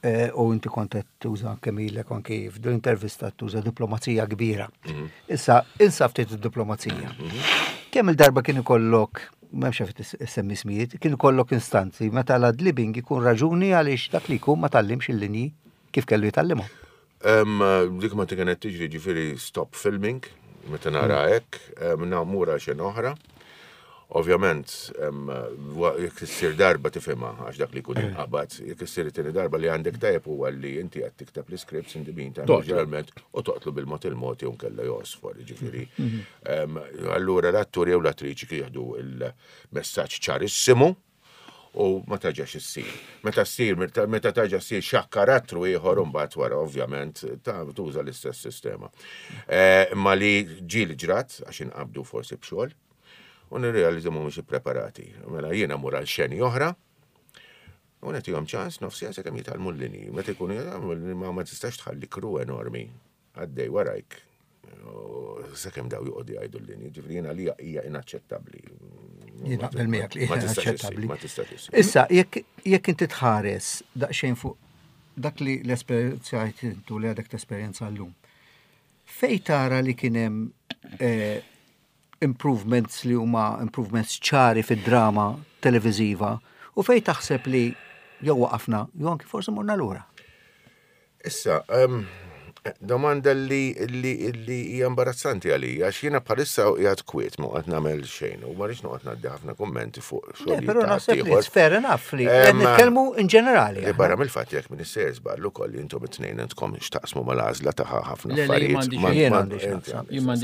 Eh, u inti kont qed tuża kemm ilek anki f'din intervista tuża diplomazija kbira. Mhm. Issa, insa ftit id-diplomazija. Mhm. Kemm il-darba kien ikollok, m'hemmx għalfejn issemmi ismijiet, kien ikollok instanzi meta l-adlibbing ikun raġuni għaliex dak li jkun ma tallimx il-linji kif kellu jitgħallimhom. Dik ma kienet tiġri ġifieri stop filming, meta nara mm. hekk, namur għal xena oħra. Ovvjament, jekk issir darba tifhimha għax dak li jkun eh. inqabad, jekk issir it-tieni darba li għandek tajjeb huwa li inti qed tikteb l-iscripts in the meantime ġeneralment u toqtlu bil-mod il-mod jew nkella josfor, ġifieri. Mhm. Allura l-attur jew l-attriċi jieħdu il-messaġġ ċarissimu u ma taġax issir. Meta ssir, meta taġa ssir xa karattru ieħor imbagħad wara ovvjament ta' tuża l-istess sistema. Eh, imma li ġieli ġrat għax inqabdu forsi b'xogħol u nirrealizza mhumiex ippreparati. Mela jiena mur għal xeni oħra u nagħtihom ċans nofs siegħa sakemm jitgħallmu l-linji. Meta jkunu jitgħallmu ma ma tistax tħalli kru enormi għaddej warajk sakemm daw joqogħdu jgħidu l-linji. Ġifieri jiena li hija inaċċettabbli. Jien naqbel miegħek li hija inaċċettabbli. Ma tistax Issa, jekk inti tħares daqsxejn fuq dak li l-esperjenzajt intu li għadek tesperjenza llum. Fej tara li kien hemm eh, improvements li huma improvements ċari fid-drama televiżiva u fejn taħseb li jew waqafna jew anki forsi morna lura? Issa, domanda li li li hija imbarazzanti għalija għax jiena bħalissa qiegħed kwiet ma qed nagħmel xejn u ma rridx noqgħod ngħaddi ħafna kummenti fuq xogħol. Però naħseb li fair enough li nitkellmu in ġenerali. Li barra mill-fatt jekk min issejjer żball ukoll intom it-tnejn intkom x'taqsmu mal-għażla ta' ħafna affarijiet.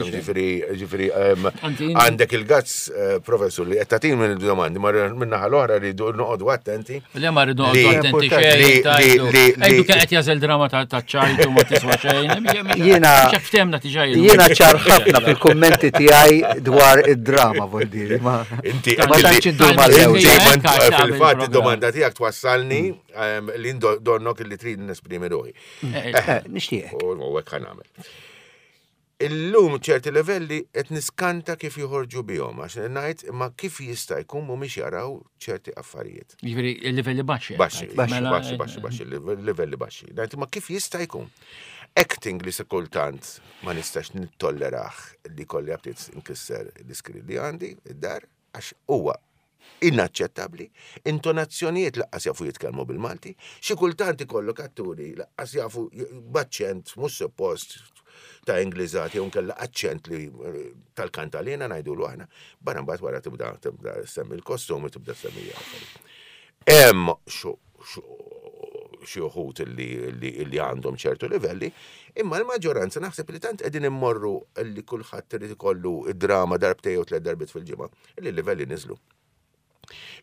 Ġifieri, ġifieri għandek il-gazz eh, professur li qed tagħtini minn il-domandi, ma min-naħa l-oħra rridu noqogħdu attenti. Le ma rridu noqogħdu attenti xejn. Ejdu qed jażel drama ta' ċajtu ma tiswa xejn. Jiena ftehmna diġà Jiena ċar ħafna fil-kummenti tiegħi dwar id-drama vuol dire. Inti ma tantx indur mal-ewwel. Fil-fatt id-domanda tiegħek twassalni li donnok li trid nesprimi ruħi. Eh, eh, nixtieq. U hekk ħanamel. Illum ċerti livelli qed niskanta kif joħorġu bihom għax ngħid imma kif jista' jkun mhumiex jaraw ċerti affarijiet. Jiġifieri livelli baxxi. Baxxi, baxxi, mela, baxxi, baxxi, baxxi, livelli baxxi. Ngħid imma kif jista' jkun. Acting li se kultant ma nistax nittollerah li kolli għabtiet nkisser l-iskrin li għandi id-dar għax huwa inaċċettabbli, intonazzjonijiet laqqas jafu jitkellmu bil-Malti, xi kultant ikollok atturi laqqas jafu b'aċċent mhux suppost ta' Ingliżat jew nkella aċċent li eh, tal-kantalina ngħidulu aħna, barra mbagħad wara tibda tibda semmi l-kostumi tibda semmi Hemm xi uħud li għandhom ċertu livelli, imma l-maġġoranza naħseb li tant qegħdin immorru li kulħadd irid ikollu id-drama darbtej jew tliet darbiet fil-ġimgħa, li l-livelli niżlu.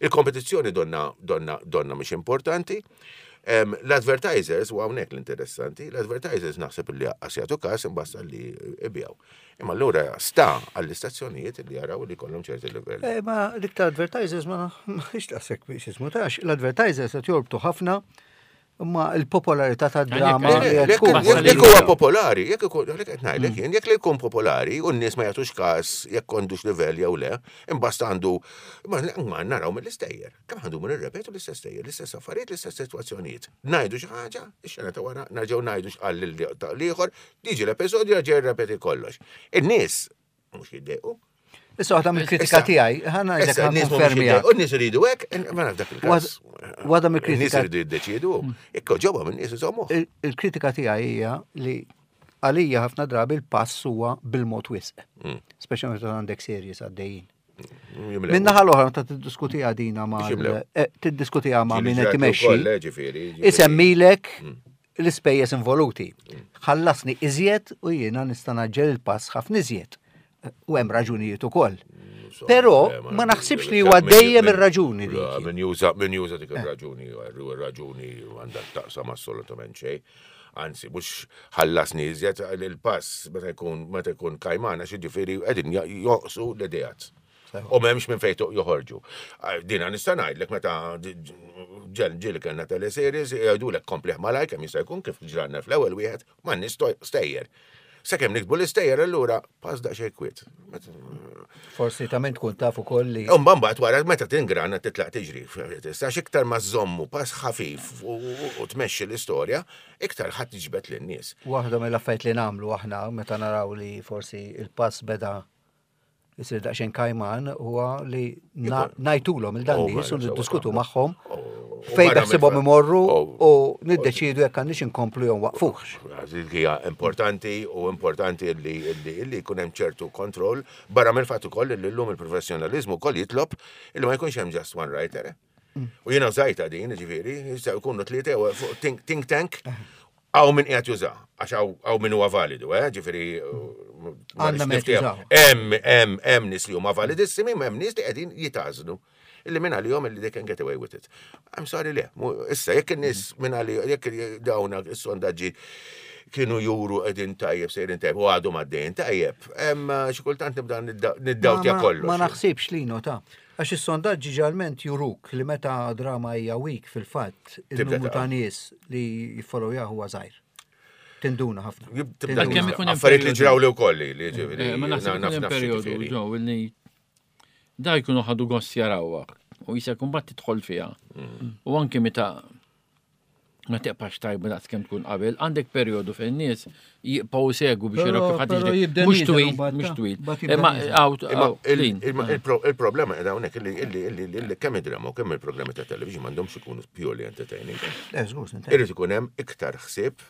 Il-kompetizzjoni donna donna donna mhix importanti. L-advertisers, u hawnhekk l-interessanti, l-advertisers naħseb li aqqas jagħtu każ imbasta li ibjaw. Imma allura sta għall-istazzjonijiet li jaraw li kollhom ċerti livelli. Eh, ma l-iktar advertisers ma nafx daqshekk biex ismu tax, l-advertisers qed jorbtu ħafna imma l-popolarità tad-drama Jekk huwa popolari, jekk ikun għalhekk qed ngħidlek jien, jekk li jkun popolari u n-nies ma jagħtux każ jekk għandux livell jew le, imbasta għandu ma naraw mill-istejjer. Kemm għandu minn irrepetu l-istess stejjer, l-istess affarijiet, l-istess sitwazzjonijiet. Ngħidu xi ħaġa, ix-xena ta' wara nerġgħu ngħidu x'qal l-ieħor, Diġi l-episodju jerġa' jirrepeti kollox. In-nies mhux jiddejqu. Issa waħda mill-kritika tiegħi, ħa ngħidlek ħa nkonfermija. U n-nies iridu hekk, ma naf dak il-każ. Waħda mill-kritika. In-nies iridu jiddeċiedu, jekk ġobhom in-nies iżommu. Il-kritika tiegħi hija li għalija ħafna drabi l-pass huwa bil-mod wisq. Speċjalment meta għandek series għaddejjin. Minna ħal oħra meta tiddiskutiha dina ma' eh, tiddiskutiha ma' min qed imexxi. Isemmilek l-ispejjeż involuti. Ħallasni iżjed u jiena nista' naġġel il-pass ħafna iżjed. U hemm raġunijiet ukoll. Però ma naħsibx li huwa dejjem ir-raġuni dik. Min juża min juża dik ir-raġuni, ir-raġuni għandha taqsam assolutament xejn. Anzi, mhux ħallasni iżjed il-pass meta jkun meta jkun kajmana xi ġifieri qegħdin joqsu l-ideat. U m'hemmx minn fejn joħorġu. Dina nista' ngħidlek meta ġel ġieli kellna teleseries jgħidulek komplih malaj kemm jista' jkun kif ġranna fl-ewwel wieħed ma stejjer. Sakemm nikbu l-istejjer allura pass daqsxejn kwiet. Forsi ta' min tkun taf ukoll li. Umba mbagħad wara meta tingrana titlaq tiġri. Tistax iktar ma żommu pass ħafif u tmexxi l-istorja, iktar ħadd tiġbed lin-nies. Waħda mill-affarijiet li nagħmlu aħna meta naraw li forsi il-pass beda jisir daqsxejn kajman huwa li ngħidulhom il dan oh, nies u niddiskutu magħhom oh, fejn beħsibhom imorru oh, u niddeċidu jekk għandix inkomplu jew waqfuhx. Hija importanti u importanti li li jkun hemm ċertu kontroll barra mill-fatt ukoll li llum il-professjonaliżmu wkoll jitlob li ma jkunx hemm just one writer. Eh? U jiena użajta din, ġifieri, jistgħu jkunu tlieta fuq think tank Hawn min qiegħed juża, għax hawn min huwa validu, eh, ġifieri. Għandna min jużaw. Hemm hemm hemm nies li huma validissimi, hemm nies li qegħdin jitażnu. Illi minn għalihom illi they can get away with it. I'm sorry le, issa jekk in-nies minn għalihom, jekk dawn is-sondaġġi kienu juru qegħdin tajjeb sejrin tajjeb u għadhom għaddejjin tajjeb, hemm xi kultant nibda niddawtja kollox. Ma naħsibx li nota. Għax is-sondaġġi ġalment juruk li meta drama hija weak fil-fatt, il-numru ta' nies li jiffollowjaha huwa żgħir. Tinduna ħafna. Kemm ikun hemm affarijiet li ġraw li wkoll li ġifieri. Eh, ma naħseb ikun hemm perjodu ġew li da jkunu ħadu gost jarawha u jisek mbagħad tidħol fiha. Mm. U anki meta ma teqpax tajba daqs kemm tkun qabel, għandek perjodu fejn nies jibqgħu segu biex jaraw kif ħadd jiġri. Mhux twil, mhux twil. Imma il-problema qiegħda hawnhekk illi kemm id-drama u kemm il-programmi ta' television m'għandhomx ikunu purely entertaining. Eh, Irid ikun hemm iktar ħsieb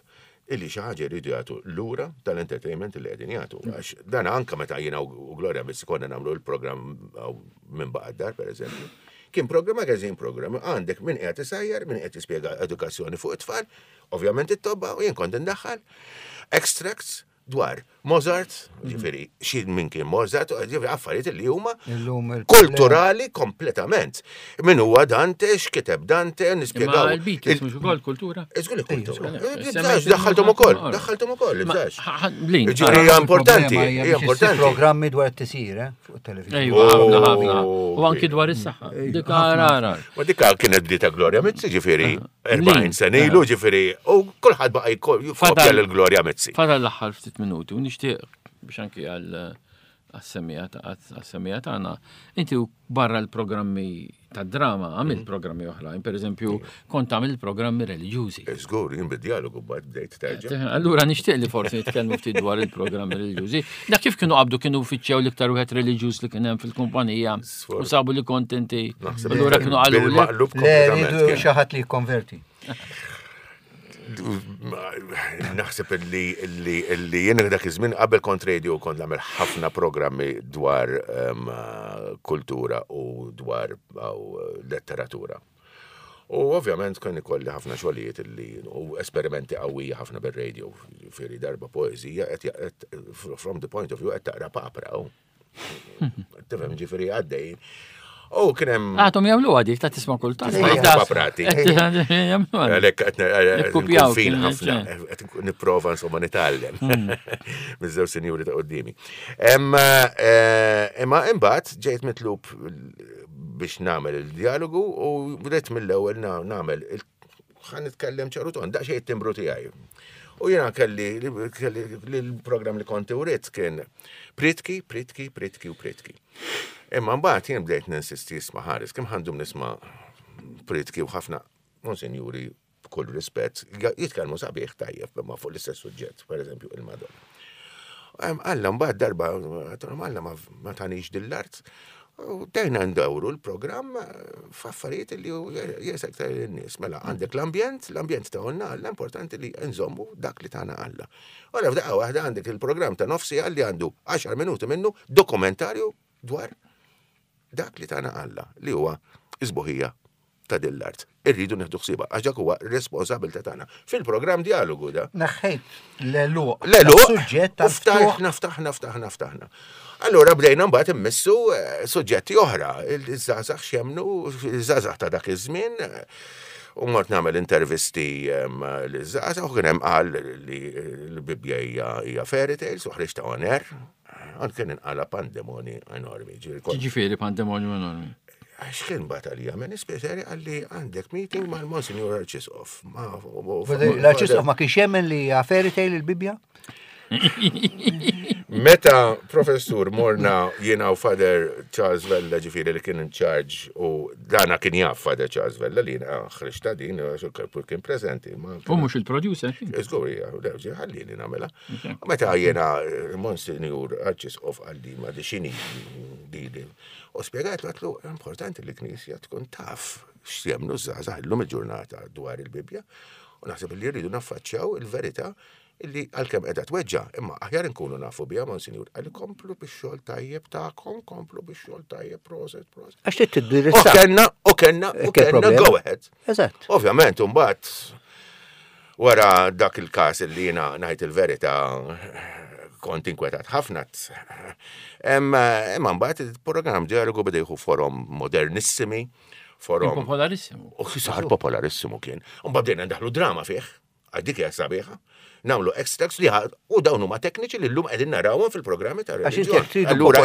illi xi ħaġa jridu jagħtu lura tal-entertainment li qegħdin jagħtu. Għax dan anke meta jiena u Gloria biss konna nagħmlu l-programm minn baqa' dar pereżempju. Kien programm magazine program, għandek min qiegħed isajjar, min qiegħed jispjega edukazzjoni fuq it-tfal, ovvjament it-tobba u jien kont indaħħal extracts dwar Mozart, ġifieri xi min kien Mozart, ġifieri affarijiet li huma kulturali kompletament. Min huwa Dante, x'kiteb Dante, nispjegaw. Imma l-Beatles mhux ukoll kultura? Żgur li kultura. Daħħalthom ukoll, daħħalthom ukoll, ibżax. Ġifieri hija importanti, hija importanti. Programmi dwar it-tisir, eh, fuq it-television. Ejwa, ħafna ħafna. U anki dwar is-saħħa. Dik rara. Ma dik kienet bdieta Gloria Mizzi, ġifieri 40 sena ilu, ġifieri, u kulħadd baqa' jkopja lil Gloria Mizzi. Fadal l-aħħar ftit minuti u nixtieq biex anki għal għas-semija tagħna, inti barra l-programmi ta' drama għamil mm. programmi oħrajn, per eżempju, kont għamil programmi reliġjużi. Eh, żgur, jien bid-dialogu bad bdejt terġa'. Eh, allura nixtieq li forsi nitkellmu ftit dwar il-programmi reliġjużi. Dak kif kienu qabdu kienu fittxew l-iktar wieħed reliġjuż li kien hemm fil-kumpanija u sabu li kont inti. Allura kienu qalu le rridu xi ħadd li jikkonverti. Naħseb li li jien dak iż-żmien qabel kont radio kont nagħmel ħafna programmi dwar ehm, kultura u dwar letteratura. U ovvjament kien ikolli ħafna xogħlijiet li u esperimenti qawwija ħafna bir-radio, fieri darba poeżija qed from the point of view qed taqra papra. Tifhem ġifieri għaddej. U kien hemm. Għadhom jagħmluha dik ta' tisma' kultant. Paprati. Għalhekk qed nkun fin ħafna, qed nipprova insomma nitgħallem miż-żewġ sinjuri ta' qudiemi. Imma imbagħad ġejt mitlub biex nagħmel il-dialogu u bdejt mill-ewwel nagħmel ħa nitkellem ċaru ton, daqsxejn it-timbru tiegħi. U jiena kelli l-programm li konti urid kien pritki, pritki, pritki u pritki. Imma mbagħad jien bdejt ninsisti jisma' ħares kemm ħandum nisma' pritki u ħafna monsinjuri b'kull rispett jitkellmu sabiħ tajjeb imma fuq l-istess suġġett, pereżempju il-Madonna. Alla mbagħad darba Alla ma tanix dil-art. U dejna ndawru l-programm eh, f'affarijiet li jesek ta' n-nies. Mela għandek l-ambjent, l-ambjent ta' għonna Alla, importanti li nżommu dak li tagħna Alla. Ora f'daqqa waħda għandek il-programm ta' nofsi li għandu 10 minuti minnu dokumentarju dwar dak li tagħna Alla li huwa isbuħija ta' din l-art. Irridu nieħdu ħsiebha għax dak huwa responsabilità tagħna. Fil-programm dialogu da. Neħħejt l-eluq. L-eluq. Suġġett ta' Ftaħna, ftaħna, ftaħna, ftaħna. Allura bdejna mbagħad immissu eh, suġġetti oħra, il-żgħażagħ x'jemnu, il-żgħażagħ ta' dak iż-żmien, u mort nagħmel intervisti l-żgħażagħ u kien hemm qal li l-Bibbja hija fairy tales u ħriġt ta' on air. Għan kien inqala pandemoni enormi. Ġifieri pandemonju enormi. Għax kien bat għalija, minn ispjeteri għalli għandek meeting mal-Monsignor Arċisqof. L-Arċisqof ma kienx jemmen li hija fairy tale il-Bibbja? Meta professur morna jiena u Father Charles Vella ġifieri li kien in charge u dana kien jaf Father Charles Vella li jiena ħriġta din kien preżenti. U mhux il-producer. Żgur hija, ħallini nagħmilha. Meta jiena eh, Monsignor Arċisqof għalli ma di xini di U spjegajtlu għatlu importanti li knisja tkun taf x'jemnu żgħażagħ illum il-ġurnata dwar il-Bibbja u naħseb li rridu naffaċċjaw il-verità illi għalkemm qiegħda tweġġa, imma aħjar inkunu nafu biha Monsinjur, għalli komplu bix-xogħol tajjeb tagħkom, komplu bix-xogħol tajjeb, proset, proset. Għax trid tiddirizza. U kenna, u kenna, u kenna go ahead. Eżatt. Ovvjament, imbagħad Wara dak il-każ li jiena ngħid il-verità kont inkwetat ħafna. Imma mbagħad il-programm dialogu beda jieħu forom modernissimi, forom. Popolarissimu. U sar popolarissimu kien. U mbagħad bdejna ndaħlu drama fih, għal dik hija sabiħa. Nagħmlu extracts li u dawn huma tekniċi li llum qegħdin narawhom fil-programmi ta' reliġjon. Allura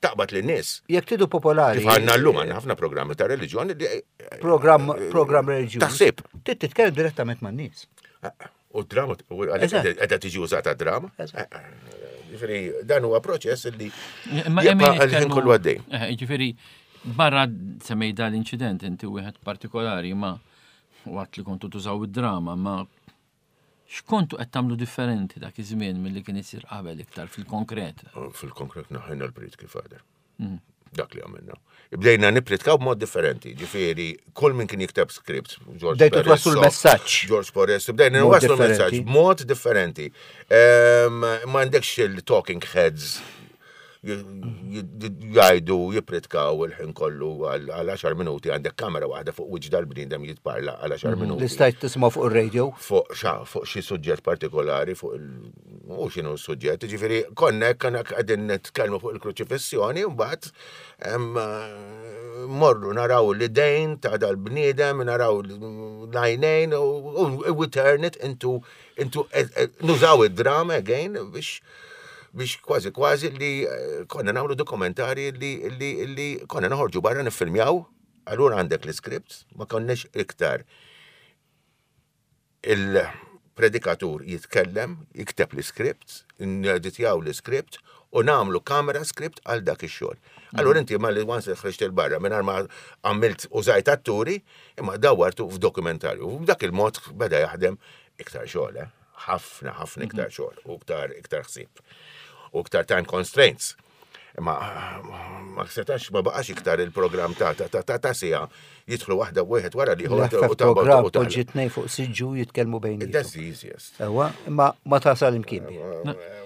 taqbad lin-nies. Jekk tridu popolari. Kif għandna llum għandna ħafna programmi ta' reliġjon li Program program reliġjuż. Taħsib. Trid titkellem direttament man-nies. U drama, qiegħda tiġi użata drama. Ġifieri dan huwa proċess li jibqa' kollu għaddej. Ġifieri barra semmej dan l-inċident inti wieħed partikolari ma waqt li kontu tużaw id-drama ma x'kontu qed tagħmlu differenti dak iż-żmien milli kien isir qabel iktar fil-konkret? Fil-konkret naħħejna l-prit kif għader. Mm. Dak li għamilna. Bdejna nipritkaw b'mod differenti, ġifieri kull min kien jikteb script, George Bdejtu twassu l-messaġġ. George Porres, bdejna nwaslu l-messaġġ b'mod differenti. Ehm, ma għandekx il-talking heads jgħidu jipritkaw il-ħin kollu għal 10 minuti għandek kamera waħda fuq wiċċ dal-bniedem jitparla għal 10 mhm. minuti. Li stajt tisma' fuq ir-radio? Fuq xi suġġett partikolari fuq il U x'inhu s-suġġett, ġifieri konna konna qegħdin nitkellmu fuq il-kruċifissjoni u mbagħad morru naraw l-idejn ta' dal-bniedem, naraw l-għajnejn u we turn it into, into eh, eh, nużaw id-drama again biex biex kważi kważi li eh, konna nagħmlu dokumentari li, li, li konna noħorġu barra niffilmjaw, allura għandek l-scripts, ma konniex iktar Il-predikatur jitkellem, jikteb l-iskript, neditjaw l-iskript u nagħmlu kamera script għal dak ix-xogħol. Allura inti ma li once ħriġt il-barra mingħajr ma għamilt użajt atturi, imma dawwartu f'dokumentarju. U b'dak il-mod beda jaħdem iktar xogħol, eh? ħafna ħafna iktar xogħol u iktar iktar ħsieb u iktar time constraints. Imma ma setax ma baqax iktar il-programm ta' ta' ta' ta' sija jidħlu waħda wieħed wara li ieħor u ta' programm poġġi tnej fuq siġġu jitkellmu bejn. That's the easiest. Ewa, imma ma tasal imkien.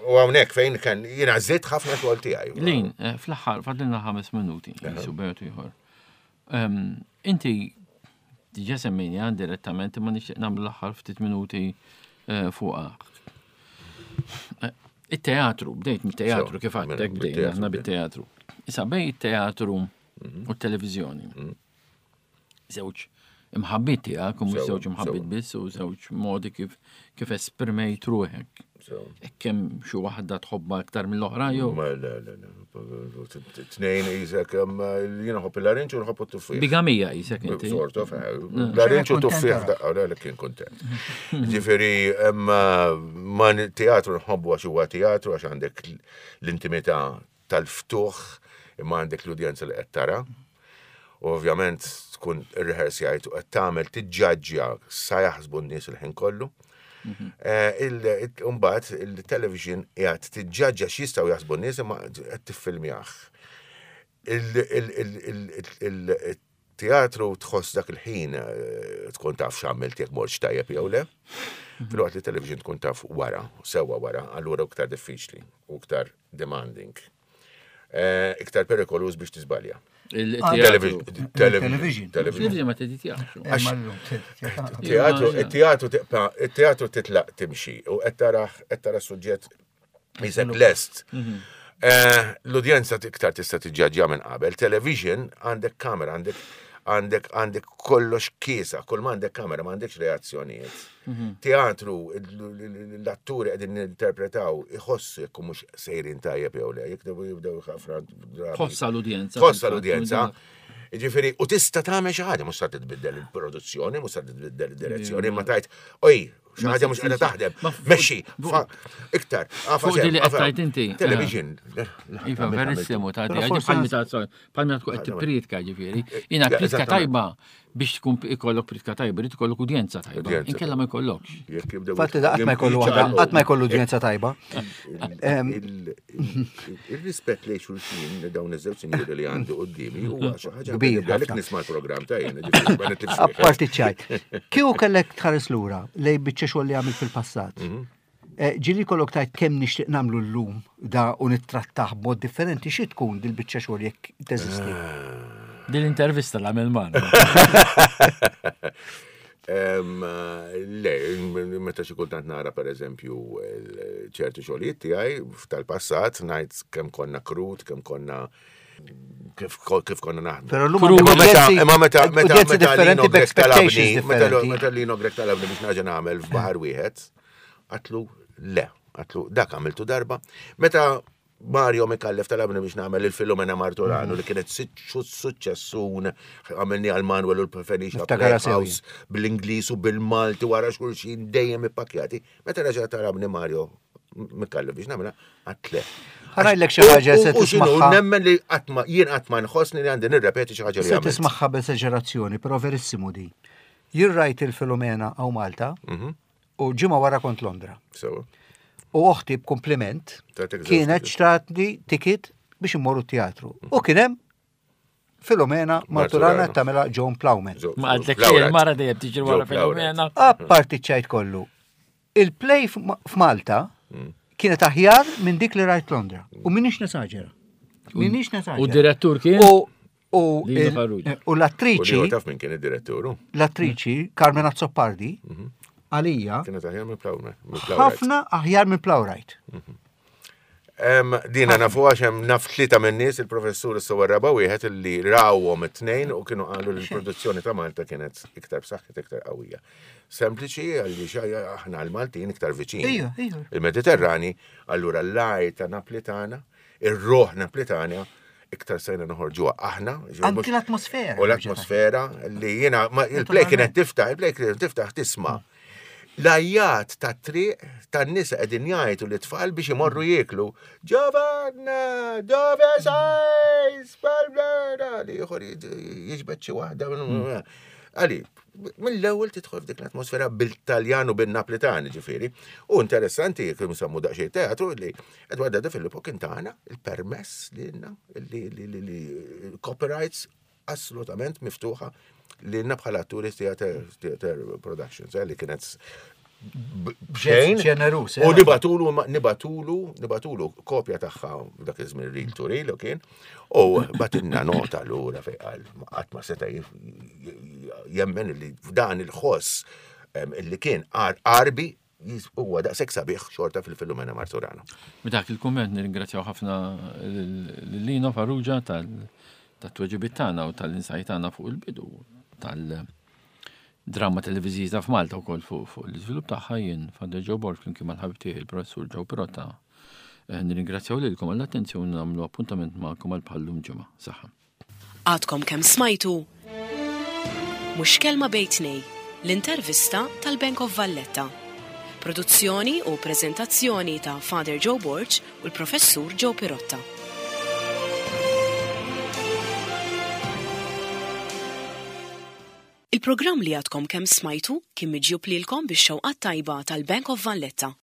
U hawnhekk fejn kien jiena żidt ħafna xogħol tiegħi. Lin, eh, fl-aħħar fadlilna ħames minuti, jisu bertu ieħor. Ehm, inti diġa semmejni direttament imma nixtieq nagħmlu l-aħħar ftit minuti eh, fuqha. Eh, it-teatru, bdejt mit-teatru kif għattek bdejna aħna bit-teatru. Issa bej it-teatru. u t-televiżjoni. Żewġ imħabbiet tiegħek u mhux żewġ imħabbiet biss u żewġ modi kif kif esprimejt ruħek. Hekk hemm xi waħda tħobbha iktar mill-oħra jew? Le, le, le. Tnejn isek, jiena nħobb il-larinġ u nħobb it-tuffieħ. Bigamija isek inti. Sort of, eh. larinġ u tuffieħ daqqa, le, kien kontent. Ġifieri, ma teatru nħobbu għax huwa teatru għax għandek l-intimità tal-ftuħ imma għandek l-udjenza li qed tara. U ovvjament tkun irrehearsjajt u qed tagħmel tiġġaġġja sa jaħsbu n-nies il-ħin kollu. Mhm. Eh, Mbagħad il-television qiegħed tiġġaġġja x'jistgħu jaħsbu n-nies imma qed tiffilmjah. Il-teatru tħoss dak il-ħin eh, tkun taf x'għamilt jekk mortx tajjeb jew le. Mhm. Filwaqt li television tkun taf wara, sewwa wara, allura iktar diffiċli u iktar demanding. Eh, iktar perikoluż biex tiżbalja. Il-television. Television. Television ma teditjax. Teatru, teatru teatru titlaq timxi u qed tara qed tara suġġett jisek lest. Mhm. Eh, l-udjenza iktar tista' tiġġaġġja minn qabel. Television għandek kamera, għandek għandek għandek kollox kiesa, kull ma għandek kamera, ma għandekx reazzjonijiet. Mhm. Teatru, l-atturi qegħdin interpretaw iħossu jekk mhux sejrin tajjeb jew le, jekk jibdew ħafna drabi. Tħossa l-udjenza. Tħossa l-udjenza. Ġifieri, u tista' tagħmel xi ħaġa, mhux sa titbiddel il-produzzjoni, mhux sa titbiddel id-direzzjoni, ma tajt, oj, xi ħaġa mhux qiegħda taħdem. Mexxi, iktar. Fuq li qed tajt inti. Eh. Television. Iva, verissimu, ta' bħal tkun qed tippriedka ġifieri. Jiena priedka tajba biex tkun ikollok priedka tajba, irid ikollok udjenza tajba. Inkella ma jkollokx. Fatti da qatt ma jkollu waħda, qatt ma jkollu udjenza tajba. Ir-rispett lejn xulxin li dawn iż-żewġ sinjuri li għandi qudiemi huwa xi ħaġa kbira. Għalhekk nisma' l-programm ta' jien. Apparti ċajt. Kieku kellek tħares lura lej biċċa xogħol li għamilt fil-passat. Mhm. Eh, ġili kollok tajt kemm nixtieq nagħmlu llum da u nittrattah b'mod differenti xi tkun dil-biċċa xogħol jekk teżisti. Eh. Din l-intervista l-għamil man. Le, meta xi kultant nara pereżempju ċertu xogħlijiet tiegħi tal-passat ngħid kemm konna krut, kemm konna kif kif konna naħdmu. Però llum imma meta meta meta Lino Grek talabni, meta Lino Grek talabni biex naġa nagħmel f'baħar wieħed, għatlu le, għatlu dak għamiltu darba. Meta Mario Mikallef talabni biex nagħmel il-Filomena Martorano li kienet suċċessun għamilni għal Manuel u l-Felicia House bil-Ingliż u bil-Malti wara xulxin dejjem ippakjati. Meta reġa' talabni Mario Mikallef biex nagħmilha, għat le. Ħarajlek xi ħaġa se tismagħha. Nemmen li qatt ma jien qatt ma nħossni li għandi nirrepeti xi ħaġa li Se tismagħha b'esaġerazzjoni, però verissimu di. Jien rajt il-Filomena hawn Malta mhm. u ġimgħa wara kont Londra. U oħti b'kumpliment kienet xtratni ticket biex immorru teatru. U kien hemm Filomena Marturana tagħmilha John Plowman. Ma għadlek il-mara dejjem tiġri wara Filomena. Apparti ċajt kollu, Il-play f'Malta hmm. kienet aħjar minn dik li rajt Londra. U minix nesaġera. Minix nesaġera. U direttur kien? U u l-attriċi. Taf minn kien id-direttur? L-attriċi Carmen Azzopardi mhm. għalija. Kienet aħjar minn Plowright. Ħafna aħjar minn Plowright. Mhm. Dina nafu għax hemm naf tlieta minn nies il-professur is-sewa raba wieħed li rawhom it-tnejn u kienu qalu li l-produzzjoni ta' Malta kienet iktar b'saħħet iktar qawwija. Sempliċi għaliex aħna l-Maltin iktar viċin. Il-Mediterrani, allura l-għajta Naplitana, ir-ruħ Naplitana, iktar sejna noħorġuha aħna. Anki l-atmosfera. U l-atmosfera li jiena il-play kienet tiftaħ, il-play kienet tiftaħ tisma'. L-għajjat tat-triq tan-nisa qegħdin jgħajtu lit-tfal biex imorru jieklu. Giovanna, dove sei? Spalmera! Li ieħor jiġbed xi waħda. Għali, mill-ewwel tidħol f'dik l-atmosfera bil-Taljan u bin-Naplitan, ġifieri. U interessanti jekk nsemmu daqsxejn teatru li Edwardo De Filippo kien tagħna il-permess lilna li copyrights assolutament miftuħa li bħala atturi Theater, Theater Productions, eh, li kienet bxejn. Ġenerus. Eh. U nibatulu, nibatulu, nibatulu kopja tagħha dak iż-żmien reel to reel kien, u batinna nota lura fej qal qatt ma seta' jemmen li f'dan il-ħoss li kien qarbi Huwa daqshekk sabiħ xorta fil-Filomena Marturano. B'dak il-kumment nirringrazzjaw ħafna lil Lino Farrugia tal tat-tweġibiet tagħna u tal-insight tagħna fuq il-bidu tal-dramma televiżiva f'Malta wkoll fuq fuq l-iżvilupp tagħha jien Father Joe Borg flimkien mal-ħabib tiegħi il-Professur Joe Pirotta. Eh, nirringrazzjaw lilkom għall-attenzjoni nagħmlu appuntament magħkom għal bħallum ġimgħa. Saħħa. Għadkom kemm smajtu Mhux Kelma Bejn Tnej, l-intervista tal-Bank of Valletta. Produzzjoni u preżentazzjoni ta' Father Joe Borg u l-Professur Joe Pirotta. Il-programm li għadkom kemm smajtu kien miġjub lilkom bix-xewqat tajba tal-Bank of Valletta.